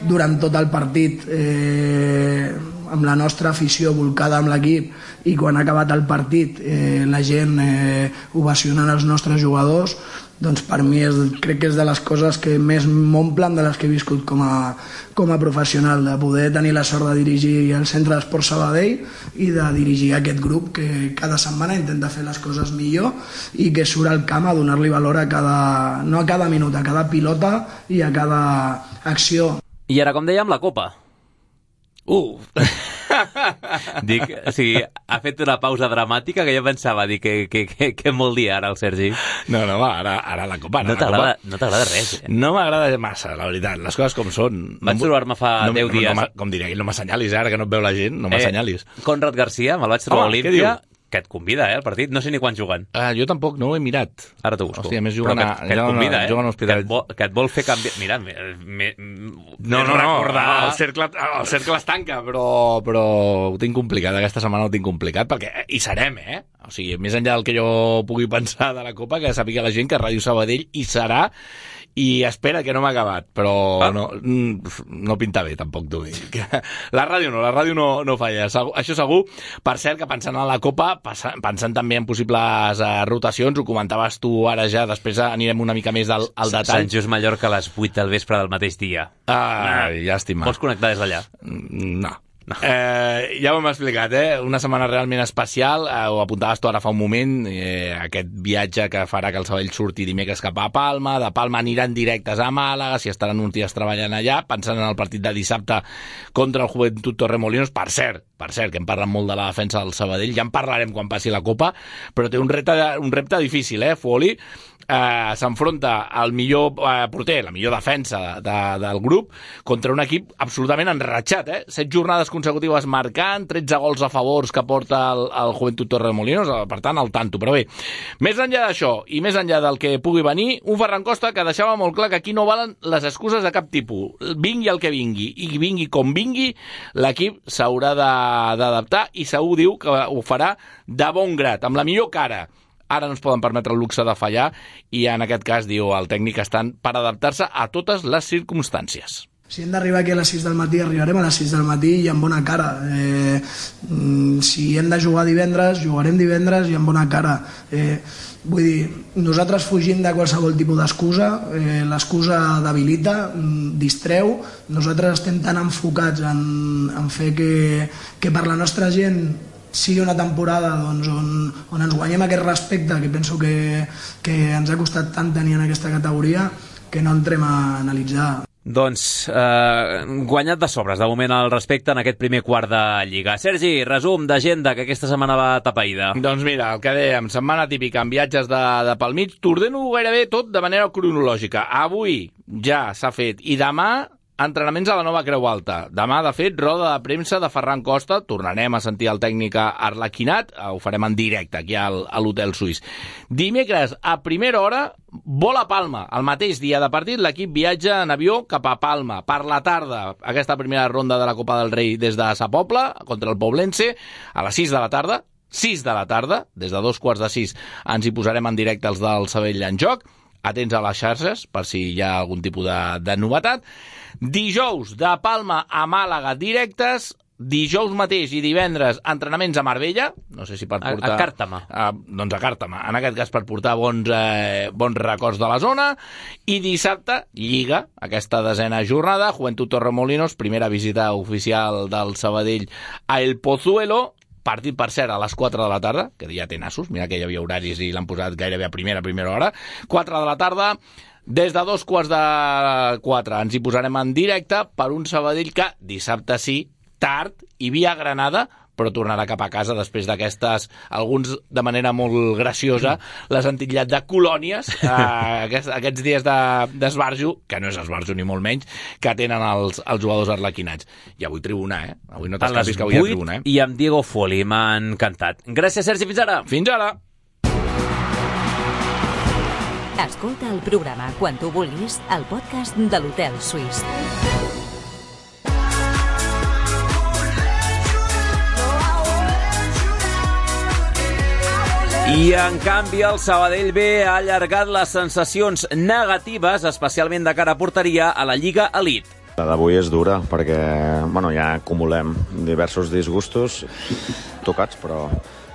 durant tot el partit, eh, amb la nostra afició volcada amb l'equip, i quan ha acabat el partit eh, la gent eh, ovacionant els nostres jugadors, doncs per mi és, crec que és de les coses que més m'omplen de les que he viscut com a, com a professional, de poder tenir la sort de dirigir el Centre d'Esport Sabadell i de dirigir aquest grup que cada setmana intenta fer les coses millor i que surt al camp a donar-li valor a cada, no a cada minut, a cada pilota i a cada acció. I ara, com dèiem, la Copa. Uh! Dic, o sigui, ha fet una pausa dramàtica que jo pensava, dic, que, que, que, que vol dir ara el Sergi. No, no, va, ara, ara la Copa. Ara no t'agrada no t'agrada res, eh? No m'agrada massa, la veritat, les coses com són. Vaig no, trobar-me fa no, deu dies. No, no, com diria, no m'assenyalis, ara que no et veu la gent, no m'assenyalis. Eh, Conrad Garcia, me'l vaig trobar a Olímpia, que et convida, eh, al partit. No sé ni quan juguen. Ah, jo tampoc, no ho he mirat. Ara t'ho busco. Hòstia, més juguen que, a... que et convida, eh? Juguen a que, et vol, que et vol fer canviar... Mira, me, me, no, no, no, el cercle, el cercle es tanca, però, però ho tinc complicat, aquesta setmana ho tinc complicat, perquè hi serem, eh? O sigui, més enllà del que jo pugui pensar de la Copa, que sàpiga la gent que Ràdio Sabadell hi serà, i espera que no m'ha acabat, però ah. no, no pinta bé, tampoc t'ho dic. La ràdio no, la ràdio no, no falla, això segur. Per cert, que pensant en la Copa, pensant també en possibles uh, rotacions, ho comentaves tu ara ja, després anirem una mica més al, al detall. Sant Just Mallorca a les vuit del vespre del mateix dia. Ah, llàstima. Vols connectar des d'allà? No. No. Eh, ja ho hem explicat, eh? Una setmana realment especial, eh, ho apuntaves tu ara fa un moment, eh, aquest viatge que farà que el Sabadell surti dimecres cap a Palma, de Palma aniran directes a Màlaga, si estaran uns dies treballant allà, pensant en el partit de dissabte contra el Joventut Torremolinos. Per cert, per cert, que hem parlat molt de la defensa del Sabadell, ja en parlarem quan passi la Copa, però té un repte, un repte difícil, eh, Fuoli? Eh, s'enfronta al millor eh, porter, la millor defensa de, de, del grup, contra un equip absolutament enratxat, eh? Set jornades consecutives marcant, tretze gols a favors que porta el, el Joventut Torremolinos, per tant, al tanto. Però bé, més enllà d'això i més enllà del que pugui venir, un Ferran Costa que deixava molt clar que aquí no valen les excuses de cap tipus. Vingui el que vingui, i vingui com vingui, l'equip s'haurà d'adaptar i segur diu que ho farà de bon grat, amb la millor cara. Ara no es poden permetre el luxe de fallar i en aquest cas, diu el tècnic, estan per adaptar-se a totes les circumstàncies. Si hem d'arribar aquí a les sis del matí, arribarem a les sis del matí i amb bona cara. Eh, si hem de jugar divendres, jugarem divendres i amb bona cara. Eh, vull dir, nosaltres fugim de qualsevol tipus d'excusa, eh, l'excusa debilita, distreu, nosaltres estem tan enfocats en, en fer que, que per la nostra gent sigui una temporada doncs, on, on ens guanyem aquest respecte que penso que, que ens ha costat tant tenir en aquesta categoria que no entrem a analitzar. Doncs eh, guanyat de sobres de moment el respecte en aquest primer quart de Lliga. Sergi, resum d'agenda que aquesta setmana va tapaïda. Doncs mira, el que dèiem, setmana típica amb viatges de, de pel mig, t'ordeno gairebé tot de manera cronològica. Avui ja s'ha fet i demà entrenaments a la nova Creu Alta. Demà, de fet, roda de premsa de Ferran Costa. Tornarem a sentir el tècnic Arlaquinat. Ho farem en directe aquí al, a l'Hotel Suís. Dimecres, a primera hora, vol a Palma. El mateix dia de partit, l'equip viatja en avió cap a Palma. Per la tarda, aquesta primera ronda de la Copa del Rei des de Sa Pobla, contra el Poblense, a les sis de la tarda. sis de la tarda, des de dos quarts de sis, ens hi posarem en directe els del Sabadell en joc. Atents a les xarxes, per si hi ha algun tipus de, de novetat. Dijous, de Palma a Màlaga directes. Dijous mateix i divendres, entrenaments a Marbella. No sé si per portar... A, a Càrtama. A, doncs a Càrtama. En aquest cas per portar bons, eh, bons records de la zona. I dissabte, Lliga, aquesta desena jornada. Joventut Torremolinos, primera visita oficial del Sabadell a El Pozuelo. Partit, per cert, a les quatre de la tarda, que ja té nassos, mira que hi havia horaris i l'han posat gairebé a primera, a primera hora. quatre de la tarda, des de dos quarts de quatre ens hi posarem en directe per un Sabadell que dissabte sí, tard, i via Granada, però tornarà cap a casa després d'aquestes, alguns de manera molt graciosa, les han titllat de colònies, eh, aquests, aquests dies d'esbarjo, que no és esbarjo ni molt menys, que tenen els, els jugadors arlequinats. I avui tribuna, eh? Avui no t'escapis que avui hi ha tribuna, eh? I amb Diego Foli, m'ha encantat. Gràcies, Sergi, fins ara. Fins ara. Escolta el programa quan tu vulguis al podcast de l'Hotel Suís. I, en canvi, el Sabadell B ha allargat les sensacions negatives, especialment de cara a porteria, a la Lliga Elite. La d'avui és dura perquè bueno, ja acumulem diversos disgustos tocats, però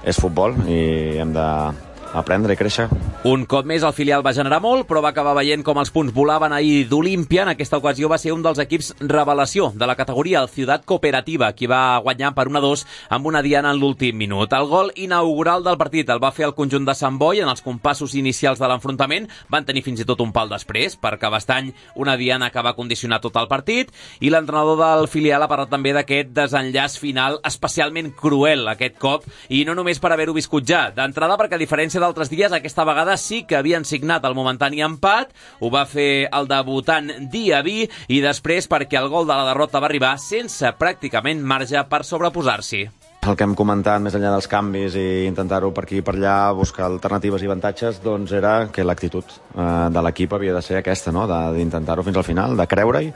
és futbol i hem d'aprendre i créixer. Un cop més el filial va generar molt, però va acabar veient com els punts volaven ahir d'Olímpia. En aquesta ocasió va ser un dels equips revelació de la categoria, el Ciutat Cooperativa, qui va guanyar per un a dos amb una diana en l'últim minut. El gol inaugural del partit el va fer el conjunt de Sant Boi en els compassos inicials de l'enfrontament. Van tenir fins i tot un pal després, perquè Bastany una diana que va condicionar tot el partit, i l'entrenador del filial ha parlat també d'aquest desenllaç final especialment cruel aquest cop, i no només per haver-ho viscut ja. D'entrada perquè, a diferència d'altres dies, aquesta vegada sí que havien signat el momentani empat, ho va fer el debutant Diaby, i després perquè el gol de la derrota va arribar sense pràcticament marge per sobreposar-s'hi. El que hem comentat, més enllà dels canvis i intentar-ho per aquí i per allà, buscar alternatives i avantatges, doncs era que l'actitud eh, de l'equip havia de ser aquesta, no? D'intentar-ho fins al final, de creure-hi,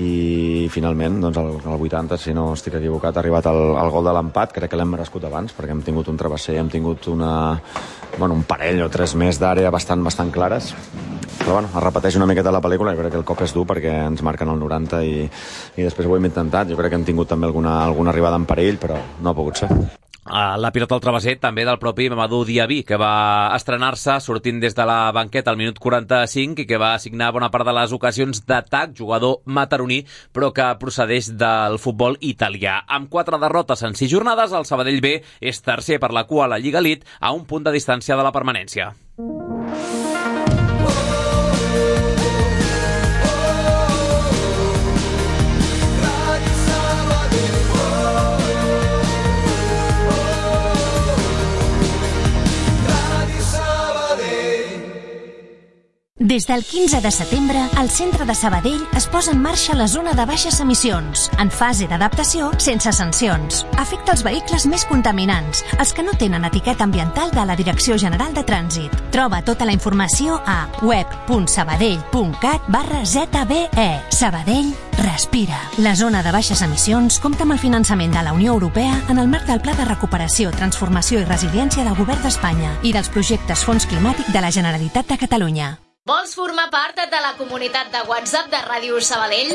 i finalment, doncs, al, al vuitanta, si no estic equivocat, ha arribat el, el gol de l'empat. Crec que l'hem merescut abans, perquè hem tingut un travesser, hem tingut una, bueno, un parell o tres més d'àrea bastant, bastant clares. Però bueno, es repeteix una miqueta la pel·lícula, jo crec que el cop és dur perquè ens marquen el noranta i, i després ho hem intentat. Jo crec que hem tingut també alguna, alguna arribada en perill, però no ha pogut ser. La pilota al travesser també del propi Mamadou Diaby, que va estrenar-se sortint des de la banqueta al minut quaranta-cinc i que va assignar bona part de les ocasions d'atac, jugador mataroní, però que procedeix del futbol italià. Amb quatre derrotes en sis jornades, el Sabadell B és tercer per la cua a la Lliga Elite, a un punt de distància de la permanència. Des del quinze de setembre, el centre de Sabadell es posa en marxa la zona de baixes emissions, en fase d'adaptació sense sancions. Afecta els vehicles més contaminants, els que no tenen etiqueta ambiental de la Direcció General de Trànsit. Troba tota la informació a web punt sabadell punt cat barra zeta be e. Sabadell respira. La zona de baixes emissions compta amb el finançament de la Unió Europea en el marc del Pla de Recuperació, Transformació i Resiliència del Govern d'Espanya i dels projectes Fons Climàtic de la Generalitat de Catalunya. Vols formar part de la comunitat de WhatsApp de Ràdio Sabadell?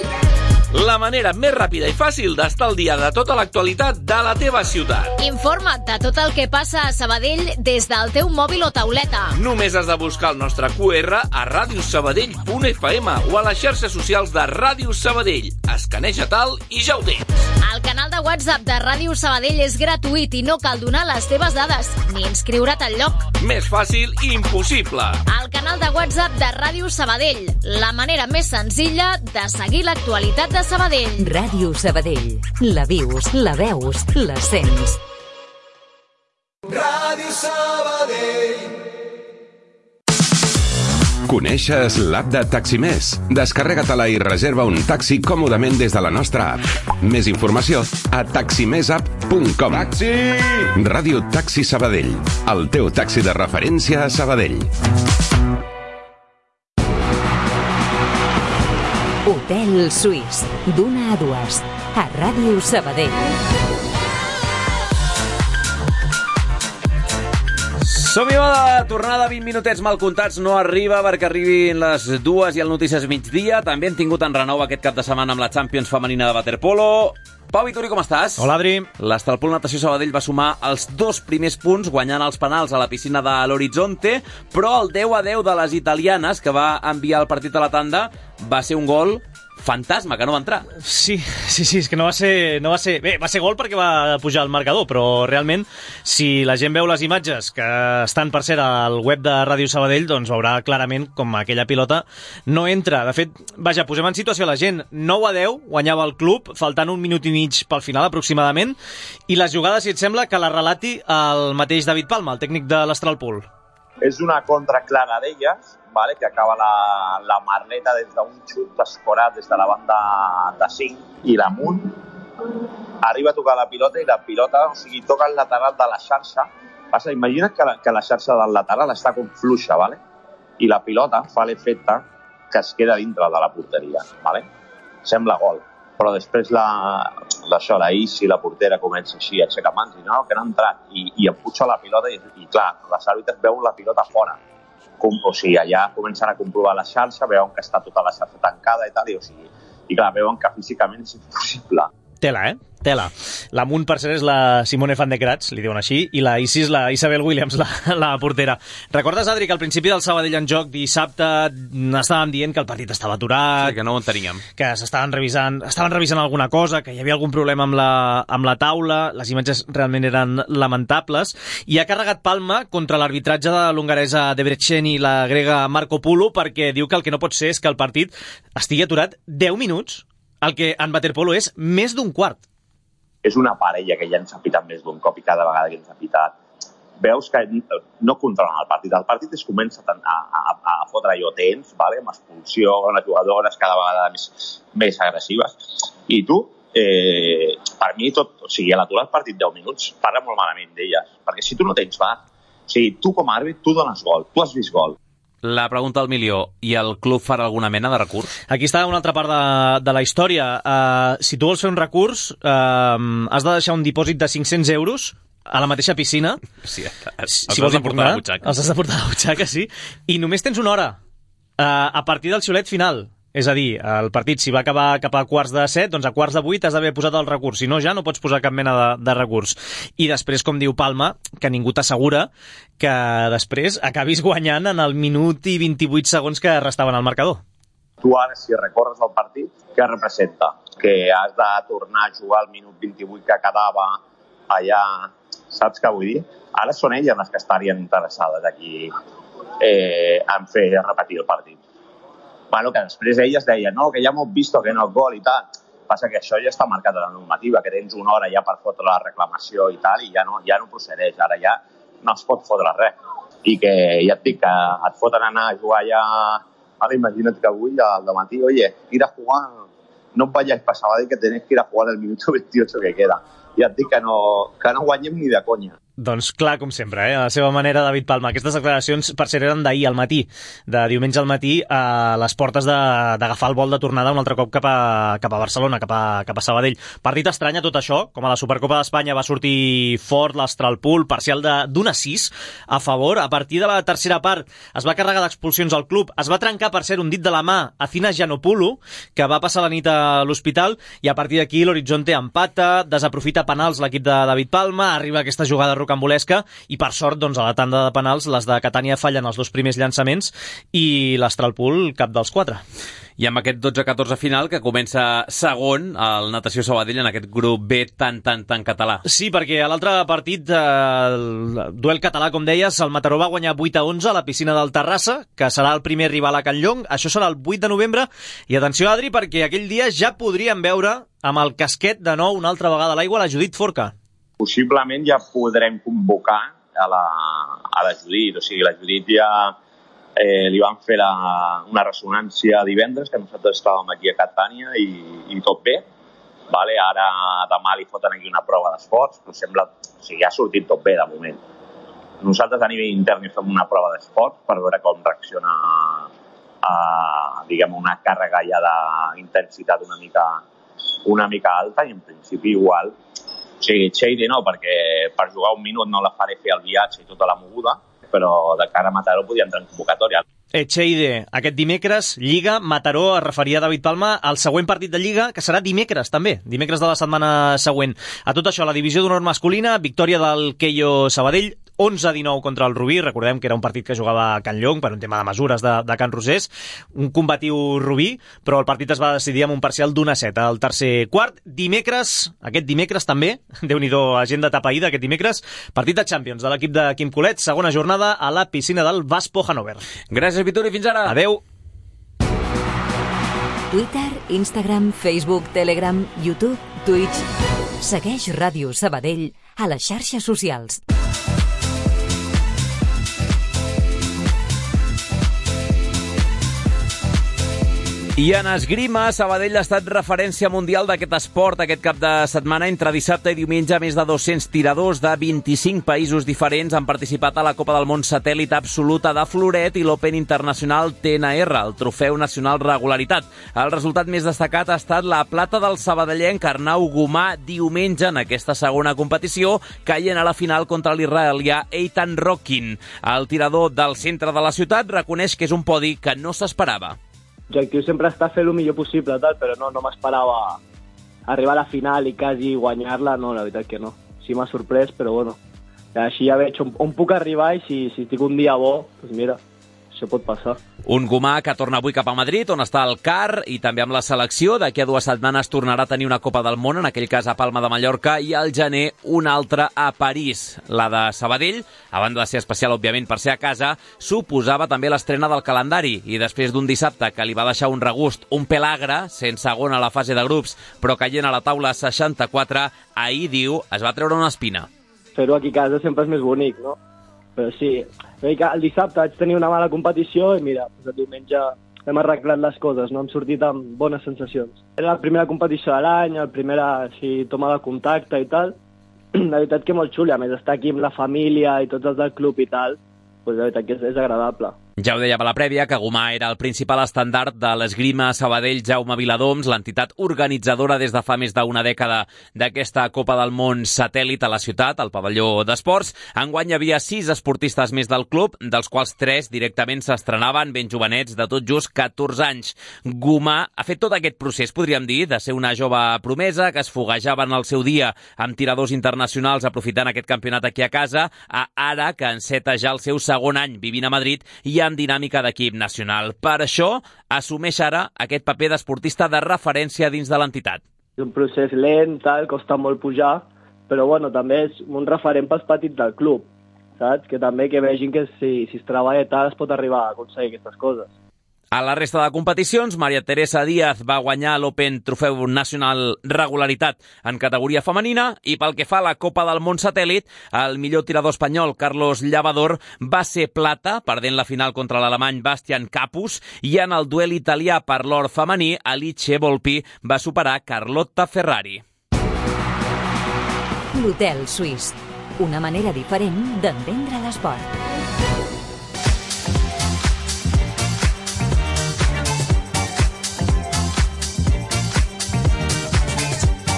La manera més ràpida i fàcil d'estar al dia de tota l'actualitat de la teva ciutat. Informa't de tot el que passa a Sabadell des del teu mòbil o tauleta. Només has de buscar el nostre Q R a radiosabadell punt f m o a les xarxes socials de Ràdio Sabadell. Escaneja tal i ja ho tens. El canal de WhatsApp de Ràdio Sabadell és gratuït i no cal donar les teves dades ni inscriure't al lloc. Més fàcil i impossible. El canal de WhatsApp de Ràdio Sabadell, la manera més senzilla de seguir l'actualitat de Sabadell. Ràdio Sabadell. La vius, la veus, la sents. Ràdio Sabadell. Coneixes l'app de Taximés? Descarrega-te-la i reserva un taxi còmodament des de la nostra app. Més informació a taximèsapp punt com. Taxi! Ràdio Taxi Sabadell, el teu taxi de referència a Sabadell. Hotel Suís, d'una a dues, a Ràdio Sabadell. Som-hi, va, de tornada, vint minutets mal comptats, no arriba perquè arribin les dues i el Notícies migdia. També hem tingut en renou aquest cap de setmana amb la Champions femenina de waterpolo. Pau Vituri, com estàs? Hola, Adri. L'Estalpol Natació Sabadell va sumar els dos primers punts guanyant els penals a la piscina de l'Horizonte, però el deu a deu de les italianes, que va enviar el partit a la tanda, va ser un gol fantasma, que no va entrar. Sí, sí, sí, és que no va ser... No va ser... Bé, va ser gol perquè va pujar al marcador, però realment, si la gent veu les imatges que estan, per cert, al web de Ràdio Sabadell, doncs veurà clarament com aquella pilota no entra. De fet, vaja, posem en situació la gent. nou a deu guanyava el club, faltant un minut i mig pel final, aproximadament, i les jugades, si et sembla, que la relati el mateix David Palma, el tècnic de l'Astralpool. És una contra clara d'elles, vale, que acaba la, la Marleta des d'un xut escorat des de la banda de cinc i l'amunt arriba a tocar la pilota i la pilota, o sigui, toca el lateral de la xarxa. Passa, imagina't que la, que la xarxa del lateral està com fluixa, vale? I la pilota fa l'efecte que es queda dintre de la porteria, vale? Sembla gol, però després la, això, la Isi, la portera, comença així a aixecar mans i no, que no ha entrat, i, i empuja la pilota i, i clar, les àrbitres veuen la pilota fora. Com, o sigui, allà comencen a comprovar la xarxa, veuen que està tota la xarxa tancada i tal, i, o sigui, i clar, veuen que físicament és impossible. Tela, eh? Tela. L'amunt, per cert, és la Simone van de Kratz, li diuen així, i la Isis, la Isabel Williams, la, la portera. Recordes, Adri, que al principi del Sabadell en joc dissabte estàvem dient que el partit estava aturat, sí, que no ho enteníem, que s'estaven revisant, estaven revisant alguna cosa, que hi havia algun problema amb la, amb la taula, les imatges realment eren lamentables, i ha carregat Palma contra l'arbitratge de l'hongaresa Debrecen i la grega Marco Polo, perquè diu que el que no pot ser és que el partit estigui aturat deu minuts, el que en waterpolo és més d'un quart. És una parella que ja ens ha pitat més d'un cop i cada vegada que ens ha pitat veus que no controlen el partit. El partit es comença a, a, a fotre allò tens, vale? Amb expulsió, amb les jugadores cada vegada més, més agressives. I tu, eh, per mi, tot, o sigui, a l'aturar el partit deu minuts, parla molt malament d'elles. Perquè si tu no tens V A R, o sigui, tu com a àrbit, tu dones gol, tu has vist gol. La pregunta al milió, i el club farà alguna mena de recurs? Aquí està una altra part de, de la història. Uh, si tu vols fer un recurs, uh, has de deixar un dipòsit de cinc-cents euros a la mateixa piscina. Sí, els si vols importar, els has de portar a la butxaca, sí. I només tens una hora uh, a partir del xiulet final. És a dir, el partit, si va acabar cap a quarts de set, doncs a quarts de vuit has d'haver posat el recurs. Si no, ja no pots posar cap mena de, de recurs. I després, com diu Palma, que ningú t'assegura que després acabis guanyant en el minut i vint-i-vuit segons que restaven al marcador. Tu ara, si recorres el partit, què representa? Que has de tornar a jugar al minut vint-i-vuit que quedava allà, saps què vull dir? Ara són elles les que estarien interessades aquí eh, en fer repetir el partit. Bueno, que després elles deien, no, que ja hemos visto que no és gol i tal. Passa que això ja està marcat a la normativa, que tens una hora ja per fotre la reclamació i tal, i ja no, ja no procedeix, ara ja no es pot fotre res. I que ja et dic que et foten anar a jugar ja, ara imagina't que avui al dematí, oye, ir a jugar, no vayáis para Sabadell que tenéis que ir a jugar el minuto veintiocho que queda. Ja et dic que no, que no guanyem ni de conya. Doncs clar, com sempre, eh? A la seva manera, David Palma. Aquestes declaracions, per cert, eren d'ahir al matí, de diumenge al matí, a les portes d'agafar el vol de tornada un altre cop cap a, cap a Barcelona, cap a, cap a Sabadell. Partit estrany a tot això, com a la Supercopa d'Espanya va sortir fort l'Astralpool, parcial d'un a sis a favor. A partir de la tercera part es va carregar d'expulsions al club, es va trencar, per cert, un dit de la mà a Cina Giannopoulou, que va passar la nit a l'hospital, i a partir d'aquí l'Horizonte empata, desaprofita penals l'equip de David Palma, arriba aquesta jugada rocambolesca i per sort doncs, a la tanda de penals les de Catània fallen els dos primers llançaments i l'Astralpool cap dels quatre. I amb aquest dotze a catorze final que comença segon el Natació Sabadell en aquest grup B tan, tan, tan català. Sí, perquè a l'altre partit, eh, el duel català, com deies, el Mataró va guanyar vuit a onze a la piscina del Terrassa, que serà el primer rival a Can Llong. Això serà el vuit de novembre. I atenció, Adri, perquè aquell dia ja podríem veure amb el casquet de nou una altra vegada a l'aigua la Judit Forca. Possiblement ja podrem convocar a la, a la Judit. O sigui, la Judit ja eh, li van fer la, una ressonància divendres, que nosaltres estàvem aquí a Catània i, i tot bé. Vale? Ara demà li foten aquí una prova d'esports, però sembla, o sigui, ja ha sortit tot bé de moment. Nosaltres a nivell intern hi fem una prova d'esports per veure com reacciona a, diguem, una càrrega ja d'intensitat una mica, una mica alta i en principi igual. O sigui, Cheide no, perquè per jugar un minut no la faré fer el viatge i tota la moguda, però de cara a Mataró podia entrar en convocatòria. Echeide, aquest dimecres, Lliga, Mataró, es referia a David Palma al següent partit de Lliga, que serà dimecres també, dimecres de la setmana següent. A tot això, la divisió d'honor masculina, victòria del Queio Sabadell, onze a dinou contra el Rubí, recordem que era un partit que jugava a Can Llong per un tema de mesures de, de Can Rosés, un combatiu Rubí, però el partit es va decidir amb un parcial d'un a set al tercer quart. Dimecres, aquest dimecres també, Déu-n'hi-do, agenda tapaïda aquest dimecres, partit de Champions de l'equip de Quim Colet, segona jornada a la piscina del Vaspo Hannover. Gràcies, Vituri, fins ara. Adeu. Twitter, Instagram, Facebook, Telegram, YouTube, Twitch. Segueix Ràdio Sabadell a les xarxes socials. I en esgrima, Sabadell ha estat referència mundial d'aquest esport aquest cap de setmana. Entre dissabte i diumenge, més de dos-cents tiradors de vint-i-cinc països diferents han participat a la Copa del Món Satèl·lit Absoluta de Floret i l'Open Internacional T N R, el Trofeu Nacional Regularitat. El resultat més destacat ha estat la plata del sabadellenc Arnau Gomà diumenge en aquesta segona competició, caient a la final contra l'israelià Eitan Rockin. El tirador del centre de la ciutat reconeix que és un podi que no s'esperava. L'objectiu sempre està fer el millor possible, tal, però no, no m'esperava arribar a la final i quasi guanyar-la, no, la veritat que no. Sí m'ha sorprès, però bueno, així ja veig on, on puc arribar i si, si tinc un dia bo, doncs mira, això pot passar. Un Gomà que torna avui cap a Madrid, on està el C A R, i també amb la selecció. D'aquí a dues setmanes tornarà a tenir una Copa del Món, en aquell cas a Palma de Mallorca, i al gener una altra a París. La de Sabadell, a banda de ser especial, òbviament, per ser a casa, suposava també l'estrena del calendari, i després d'un dissabte que li va deixar un regust un pèl agre, sent segon a la fase de grups, però caient a la taula seixanta-quatre, ahir, diu, es va treure una espina. Fer-ho aquí a casa sempre és més bonic, no? Però sí, el dissabte vaig tenir una mala competició i mira, el diumenge hem arreglat les coses, no? Hem sortit amb bones sensacions. Era la primera competició de l'any, la primera així, toma de contacte i tal. La veritat que molt xula, a més estar aquí amb la família i tots els del club i tal, doncs la veritat que és, és agradable. Ja ho dèiem a la prèvia, que Gomà era el principal estandard de l'esgrima Sabadell Jaume Viladoms, l'entitat organitzadora des de fa més d'una dècada d'aquesta Copa del Món Satèl·lit a la ciutat, al pavelló d'esports. Enguany hi havia sis esportistes més del club, dels quals tres directament s'estrenaven ben jovenets, de tot just catorze anys. Gomà ha fet tot aquest procés, podríem dir, de ser una jove promesa que es foguejava en el seu dia amb tiradors internacionals aprofitant aquest campionat aquí a casa, a ara que enceta ja el seu segon any vivint a Madrid i en dinàmica d'equip nacional. Per això, assumeix ara aquest paper d'esportista de referència dins de l'entitat. És un procés lent, tal, costa molt pujar, però bueno, també és un referent pels petits del club, saps? Que també que vegin que si, si es treballa tal es pot arribar a aconseguir aquestes coses. A la resta de competicions, Maria Teresa Díaz va guanyar l'Open Trofeu Nacional Regularitat en categoria femenina i pel que fa a la Copa del Món Satèl·lit, el millor tirador espanyol, Carlos Llavador, va ser plata, perdent la final contra l'alemany Bastian Capus, i en el duel italià per l'or femení, Alice Volpi va superar Carlotta Ferrari. L'Hotel Suís, una manera diferent d'entendre l'esport.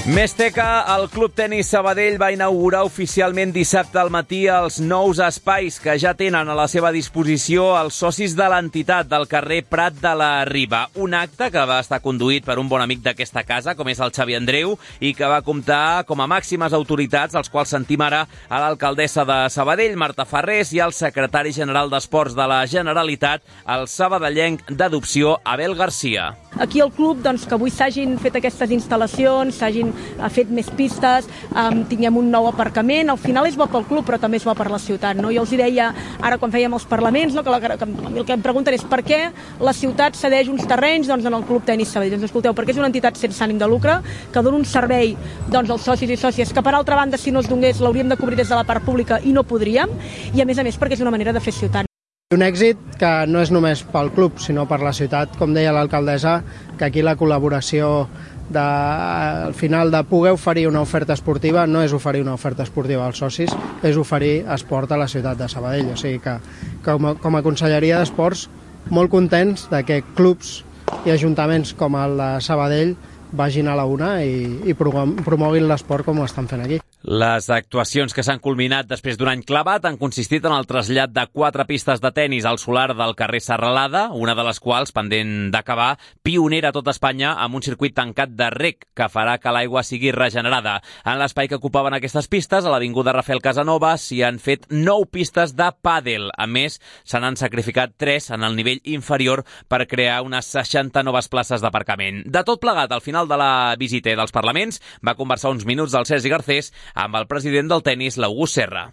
Més teca, el Club Tenis Sabadell va inaugurar oficialment dissabte al matí els nous espais que ja tenen a la seva disposició els socis de l'entitat del carrer Prat de la Riba. Un acte que va estar conduït per un bon amic d'aquesta casa, com és el Xavi Andreu, i que va comptar com a màximes autoritats, als quals sentim ara a l'alcaldessa de Sabadell, Marta Farrés, i al secretari general d'Esports de la Generalitat, el sabadellenc d'adopció, Abel Garcia. Aquí al club, doncs, que avui s'hagin fet aquestes instal·lacions, s'hagin ha fet més pistes, um, tinguem un nou aparcament, al final és bo pel club però també és bo per la ciutat, no? Jo els deia ara quan fèiem els parlaments, no? que, la, que el que em pregunten és per què la ciutat cedeix uns terrenys doncs, en el Club Tenis Sabadell. Doncs escolteu, perquè és una entitat sense ànim de lucre que dona un servei doncs, als socis i sòcies que per altra banda si no es donés l'hauríem de cobrir des de la part pública i no podríem, i a més a més perquè és una manera de fer ciutat. Un èxit que no és només pel club sinó per la ciutat, com deia l'alcaldessa, que aquí la col·laboració de, al final de poder oferir una oferta esportiva no és oferir una oferta esportiva als socis, és oferir esport a la ciutat de Sabadell. O sigui que com a, com a Conselleria d'Esports molt contents de que clubs i ajuntaments com el de Sabadell vagin a la una i, i promoguin l'esport com ho estan fent aquí. Les actuacions que s'han culminat després d'un any clavat han consistit en el trasllat de quatre pistes de tennis al solar del carrer Serralada, una de les quals, pendent d'acabar, pionera a tot Espanya amb un circuit tancat de rec que farà que l'aigua sigui regenerada. En l'espai que ocupaven aquestes pistes, a l'avinguda Rafael Casanova, s'hi han fet nou pistes de pàdel. A més, se n'han sacrificat tres en el nivell inferior per crear unes seixanta noves places d'aparcament. De tot plegat, al final de la visita dels parlaments, va conversar uns minuts el Sergi Garcés amb el president del tennis, l'August Serra.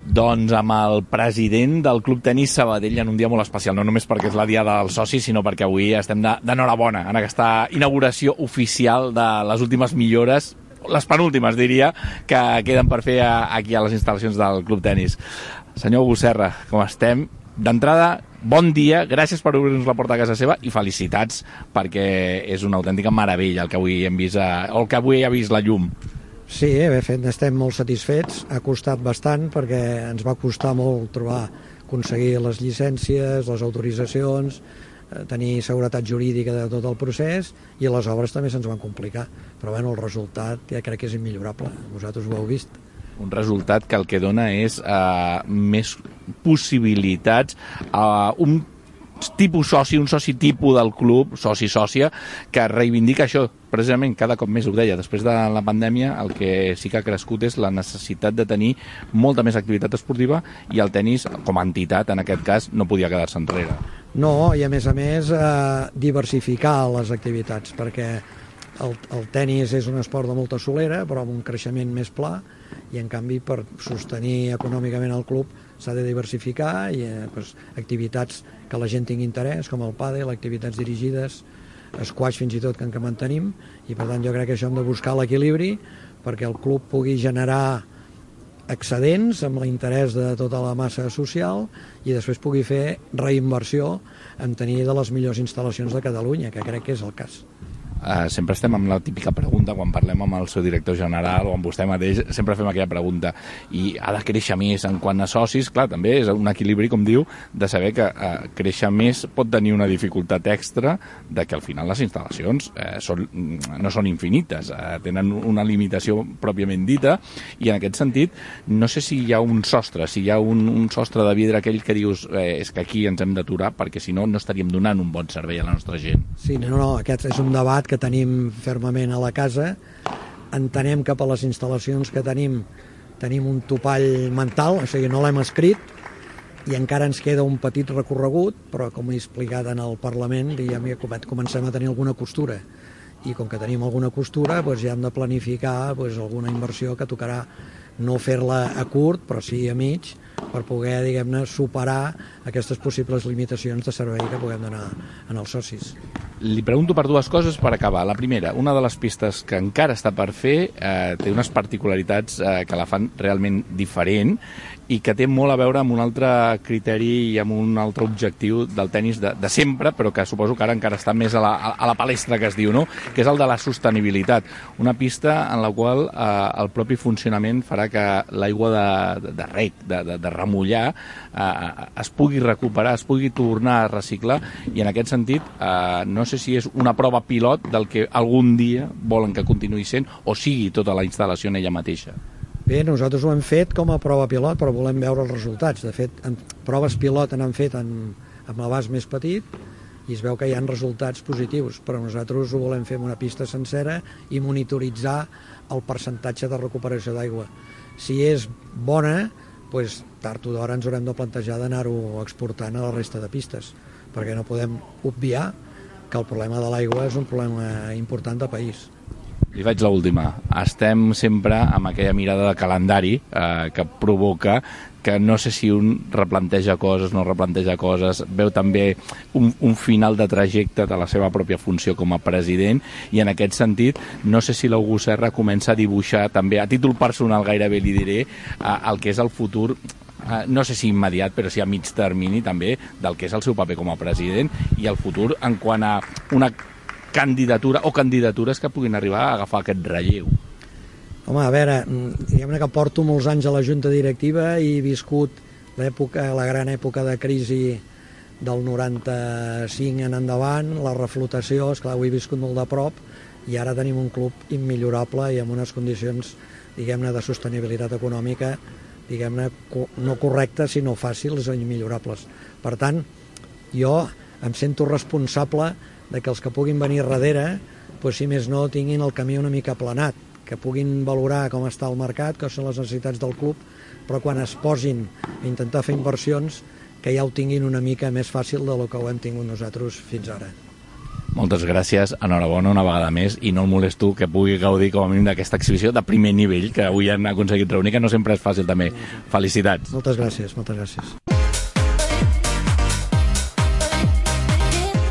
Doncs amb el president del Club Tenis Sabadell en un dia molt especial, no només perquè és la diada del soci, sinó perquè avui estem d'enhorabona en aquesta inauguració oficial de les últimes millores, les penúltimes, diria, que queden per fer aquí a les instal·lacions del Club Tenis. Senyor August Serra, com estem? D'entrada, bon dia, gràcies per obrir-nos la porta a casa seva i felicitats perquè és una autèntica meravella el que avui hem vist, o el que avui ha vist la llum. Sí, bé fet, estem molt satisfets, ha costat bastant perquè ens va costar molt trobar, aconseguir les llicències, les autoritzacions, tenir seguretat jurídica de tot el procés i les obres també se'ns van complicar, però bueno, el resultat ja crec que és immillorable, vosaltres ho heu vist. Un resultat que el que dona és uh, més possibilitats a uh, un tipus soci, un soci tipus del club, soci-sòcia, que reivindica això, precisament cada cop més, ho deia, després de la pandèmia el que sí que ha crescut és la necessitat de tenir molta més activitat esportiva i el tenis, com a entitat, en aquest cas, no podia quedar-se enrere. No, i a més a més eh, diversificar les activitats, perquè el, el tenis és un esport de molta solera, però amb un creixement més pla, i en canvi per sostenir econòmicament el club s'ha de diversificar i eh, pues, activitats que la gent tingui interès, com el pàdel, activitats dirigides, squash fins i tot que en què mantenim, i per tant jo crec que això hem de buscar l'equilibri perquè el club pugui generar excedents amb l'interès de tota la massa social i després pugui fer reinversió en tenir de les millors instal·lacions de Catalunya, que crec que és el cas. Uh, sempre estem amb la típica pregunta quan parlem amb el seu director general o amb vostè mateix, sempre fem aquella pregunta i ha de créixer més en quant a socis. Clar, també és un equilibri, com diu, de saber que uh, créixer més pot tenir una dificultat extra de que al final les instal·lacions uh, són, no són infinites, uh, tenen una limitació pròpiament dita i en aquest sentit no sé si hi ha un sostre, si hi ha un, un sostre de vidre aquell que dius eh, és que aquí ens hem d'aturar perquè si no no estaríem donant un bon servei a la nostra gent. Sí, no, no, aquest és un debat que tenim fermament a la casa. Entenem que per les instal·lacions que tenim tenim un topall mental, o sigui, no l'hem escrit i encara ens queda un petit recorregut, però com he explicat en el Parlament ja comencem a tenir alguna costura i com que tenim alguna costura doncs ja hem de planificar doncs, alguna inversió que tocarà no fer-la a curt però sí a mig per poder, diguem-ne, superar aquestes possibles limitacions de servei que puguem donar en els socis. Li pregunto per dues coses per acabar. La primera, una de les pistes que encara està per fer eh, té unes particularitats eh, que la fan realment diferent i que té molt a veure amb un altre criteri i amb un altre objectiu del tenis de, de sempre, però que suposo que ara encara està més a la, a la palestra que es diu, no? Que és el de la sostenibilitat. Una pista en la qual eh, el propi funcionament farà que l'aigua de, de rec, de, de, de remullar, eh, es pugui recuperar, es pugui tornar a reciclar i en aquest sentit eh, no sé si és una prova pilot del que algun dia volen que continuï sent o sigui tota la instal·lació en ella mateixa. Bé, nosaltres ho hem fet com a prova pilot, però volem veure els resultats. De fet, en proves pilot n'han fet en, amb l'abast més petit i es veu que hi ha resultats positius, però nosaltres ho volem fer amb una pista sencera i monitoritzar el percentatge de recuperació d'aigua. Si és bona, doncs, tard o d'hora ens haurem de plantejar d'anar-ho exportant a la resta de pistes, perquè no podem obviar que el problema de l'aigua és un problema important de país. Li faig l'última. Estem sempre amb aquella mirada de calendari eh, que provoca que no sé si un replanteja coses, no replanteja coses, veu també un, un final de trajecte de la seva pròpia funció com a president i en aquest sentit no sé si l'August Serra comença a dibuixar també, a títol personal gairebé li diré, eh, el que és el futur no sé si immediat, però sí a mig termini també, del que és el seu paper com a president i el futur en quant a una candidatura o candidatures que puguin arribar a agafar aquest relleu. Home, a veure, diguem-ne que porto molts anys a la Junta Directiva i he viscut l'època, la gran època de crisi del noranta-cinc en endavant, la reflotació, esclar, ho he viscut molt de prop i ara tenim un club immillorable i amb unes condicions diguem-ne, de sostenibilitat econòmica, diguem-ne, no correctes, sinó fàcils o imillorables. Per tant, jo em sento responsable de que els que puguin venir darrere, doncs, si més no, tinguin el camí una mica aplanat, que puguin valorar com està el mercat, que són les necessitats del club, però quan es posin a intentar fer inversions, que ja ho tinguin una mica més fàcil del que ho hem tingut nosaltres fins ara. Moltes gràcies, enhorabona una vegada més, i no el molesto que pugui gaudir com a mínim d'aquesta exhibició de primer nivell que avui han aconseguit reunir, que no sempre és fàcil també. Felicitats. Moltes gràcies, moltes gràcies.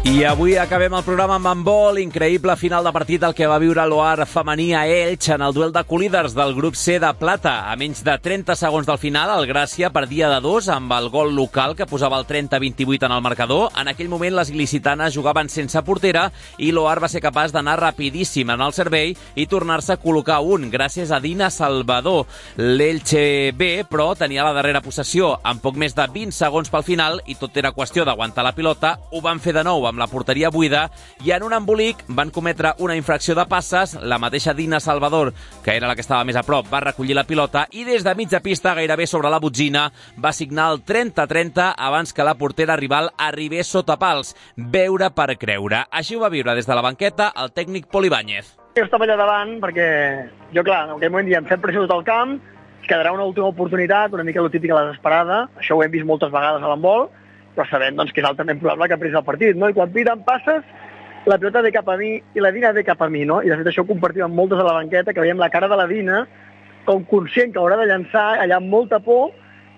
I avui acabem el programa amb handbol, increïble final de partit el que va viure l'Oar femení a Elx en el duel de colíders del grup C de plata. A menys de trenta segons del final, el Gràcia perdia de dos amb el gol local que posava el trenta a vint-i-vuit en el marcador. En aquell moment les il·licitanes jugaven sense portera i l'Oar va ser capaç d'anar rapidíssim en el servei i tornar-se a col·locar un, gràcies a Dina Salvador. L'Elche B, però, tenia la darrera possessió amb poc més de vint segons pel final i tot era qüestió d'aguantar la pilota. Ho van fer de nou amb la porteria buida i en un embolic van cometre una infracció de passes. La mateixa Dina Salvador, que era la que estava més a prop, va recollir la pilota i des de mitja pista, gairebé sobre la botzina, va signar el trenta a trenta abans que la portera rival arribés sota pals. Veure per creure. Així ho va viure des de la banqueta el tècnic Pol Ibáñez. Jo estava allà davant perquè jo, clar, en aquell moment diem fem pressió tot el camp, quedarà una última oportunitat, una mica lo típica la desesperada. Això ho hem vist moltes vegades a l'handbol, però sabem doncs, que és altament probable que pres el partit, no? I quan piden passes, la pilota ve cap a mi i la Dina ve cap a mi, no? I de fet això ho compartim amb moltes a la banqueta, que veiem la cara de la Dina com conscient que haurà de llançar allà amb molta por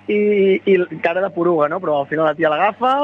i, i cara de poruga, no? Però al final la tia l'agafa,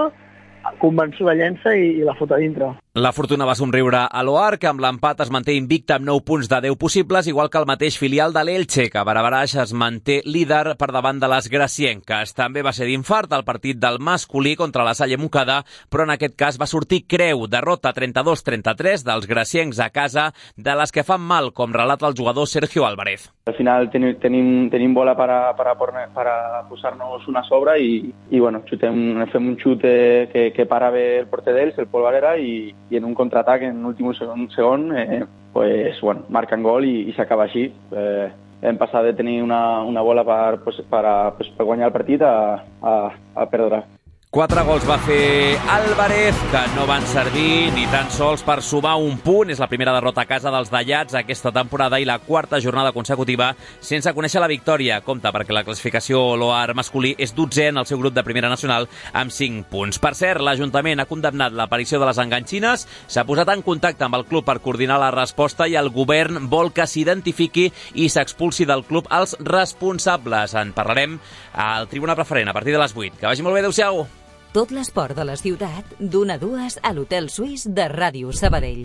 convençuda llença i, i la fot a dintre. La fortuna va somriure a l'Oar, que amb l'empat es manté invicta amb nou punts de deu possibles, igual que el mateix filial de l'Elche, que a Barabaraix es manté líder per davant de les gracienques. També va ser d'infart el partit del masculí contra la Salle Montcada, però en aquest cas va sortir creu, derrota trenta-dos a trenta-tres dels graciencs a casa, de les que fan mal, com relata el jugador Sergio Álvarez. Al final tenim, tenim, tenim bola para, para, para posar-nos una sobre i, i bueno, xutem, fem un xut que, que para bé el porter d'ells, el Pol Valera, i i en un contraatac en l'últim segon, segon eh, pues, bueno, marquen gol i, i s'acaba així. Eh, hem passat de tenir una, una bola per, pues, per, a, pues, per guanyar el partit a, a, a perdre. Quatre gols va fer Álvarez, que no van servir ni tan sols per sumar un punt. És la primera derrota a casa dels Dallats aquesta temporada i la quarta jornada consecutiva sense conèixer la victòria. Compte, perquè la classificació l'Oar masculí és dotzè en el seu grup de primera nacional amb cinc punts. Per cert, l'Ajuntament ha condemnat l'aparició de les enganxines, s'ha posat en contacte amb el club per coordinar la resposta i el govern vol que s'identifiqui i s'expulsi del club els responsables. En parlarem al Tribuna Preferent a partir de les vuit. Que vagi molt bé, adéu-siau. Tot l'esport de la ciutat, d'una a dues a l'Hotel Suís de Ràdio Sabadell.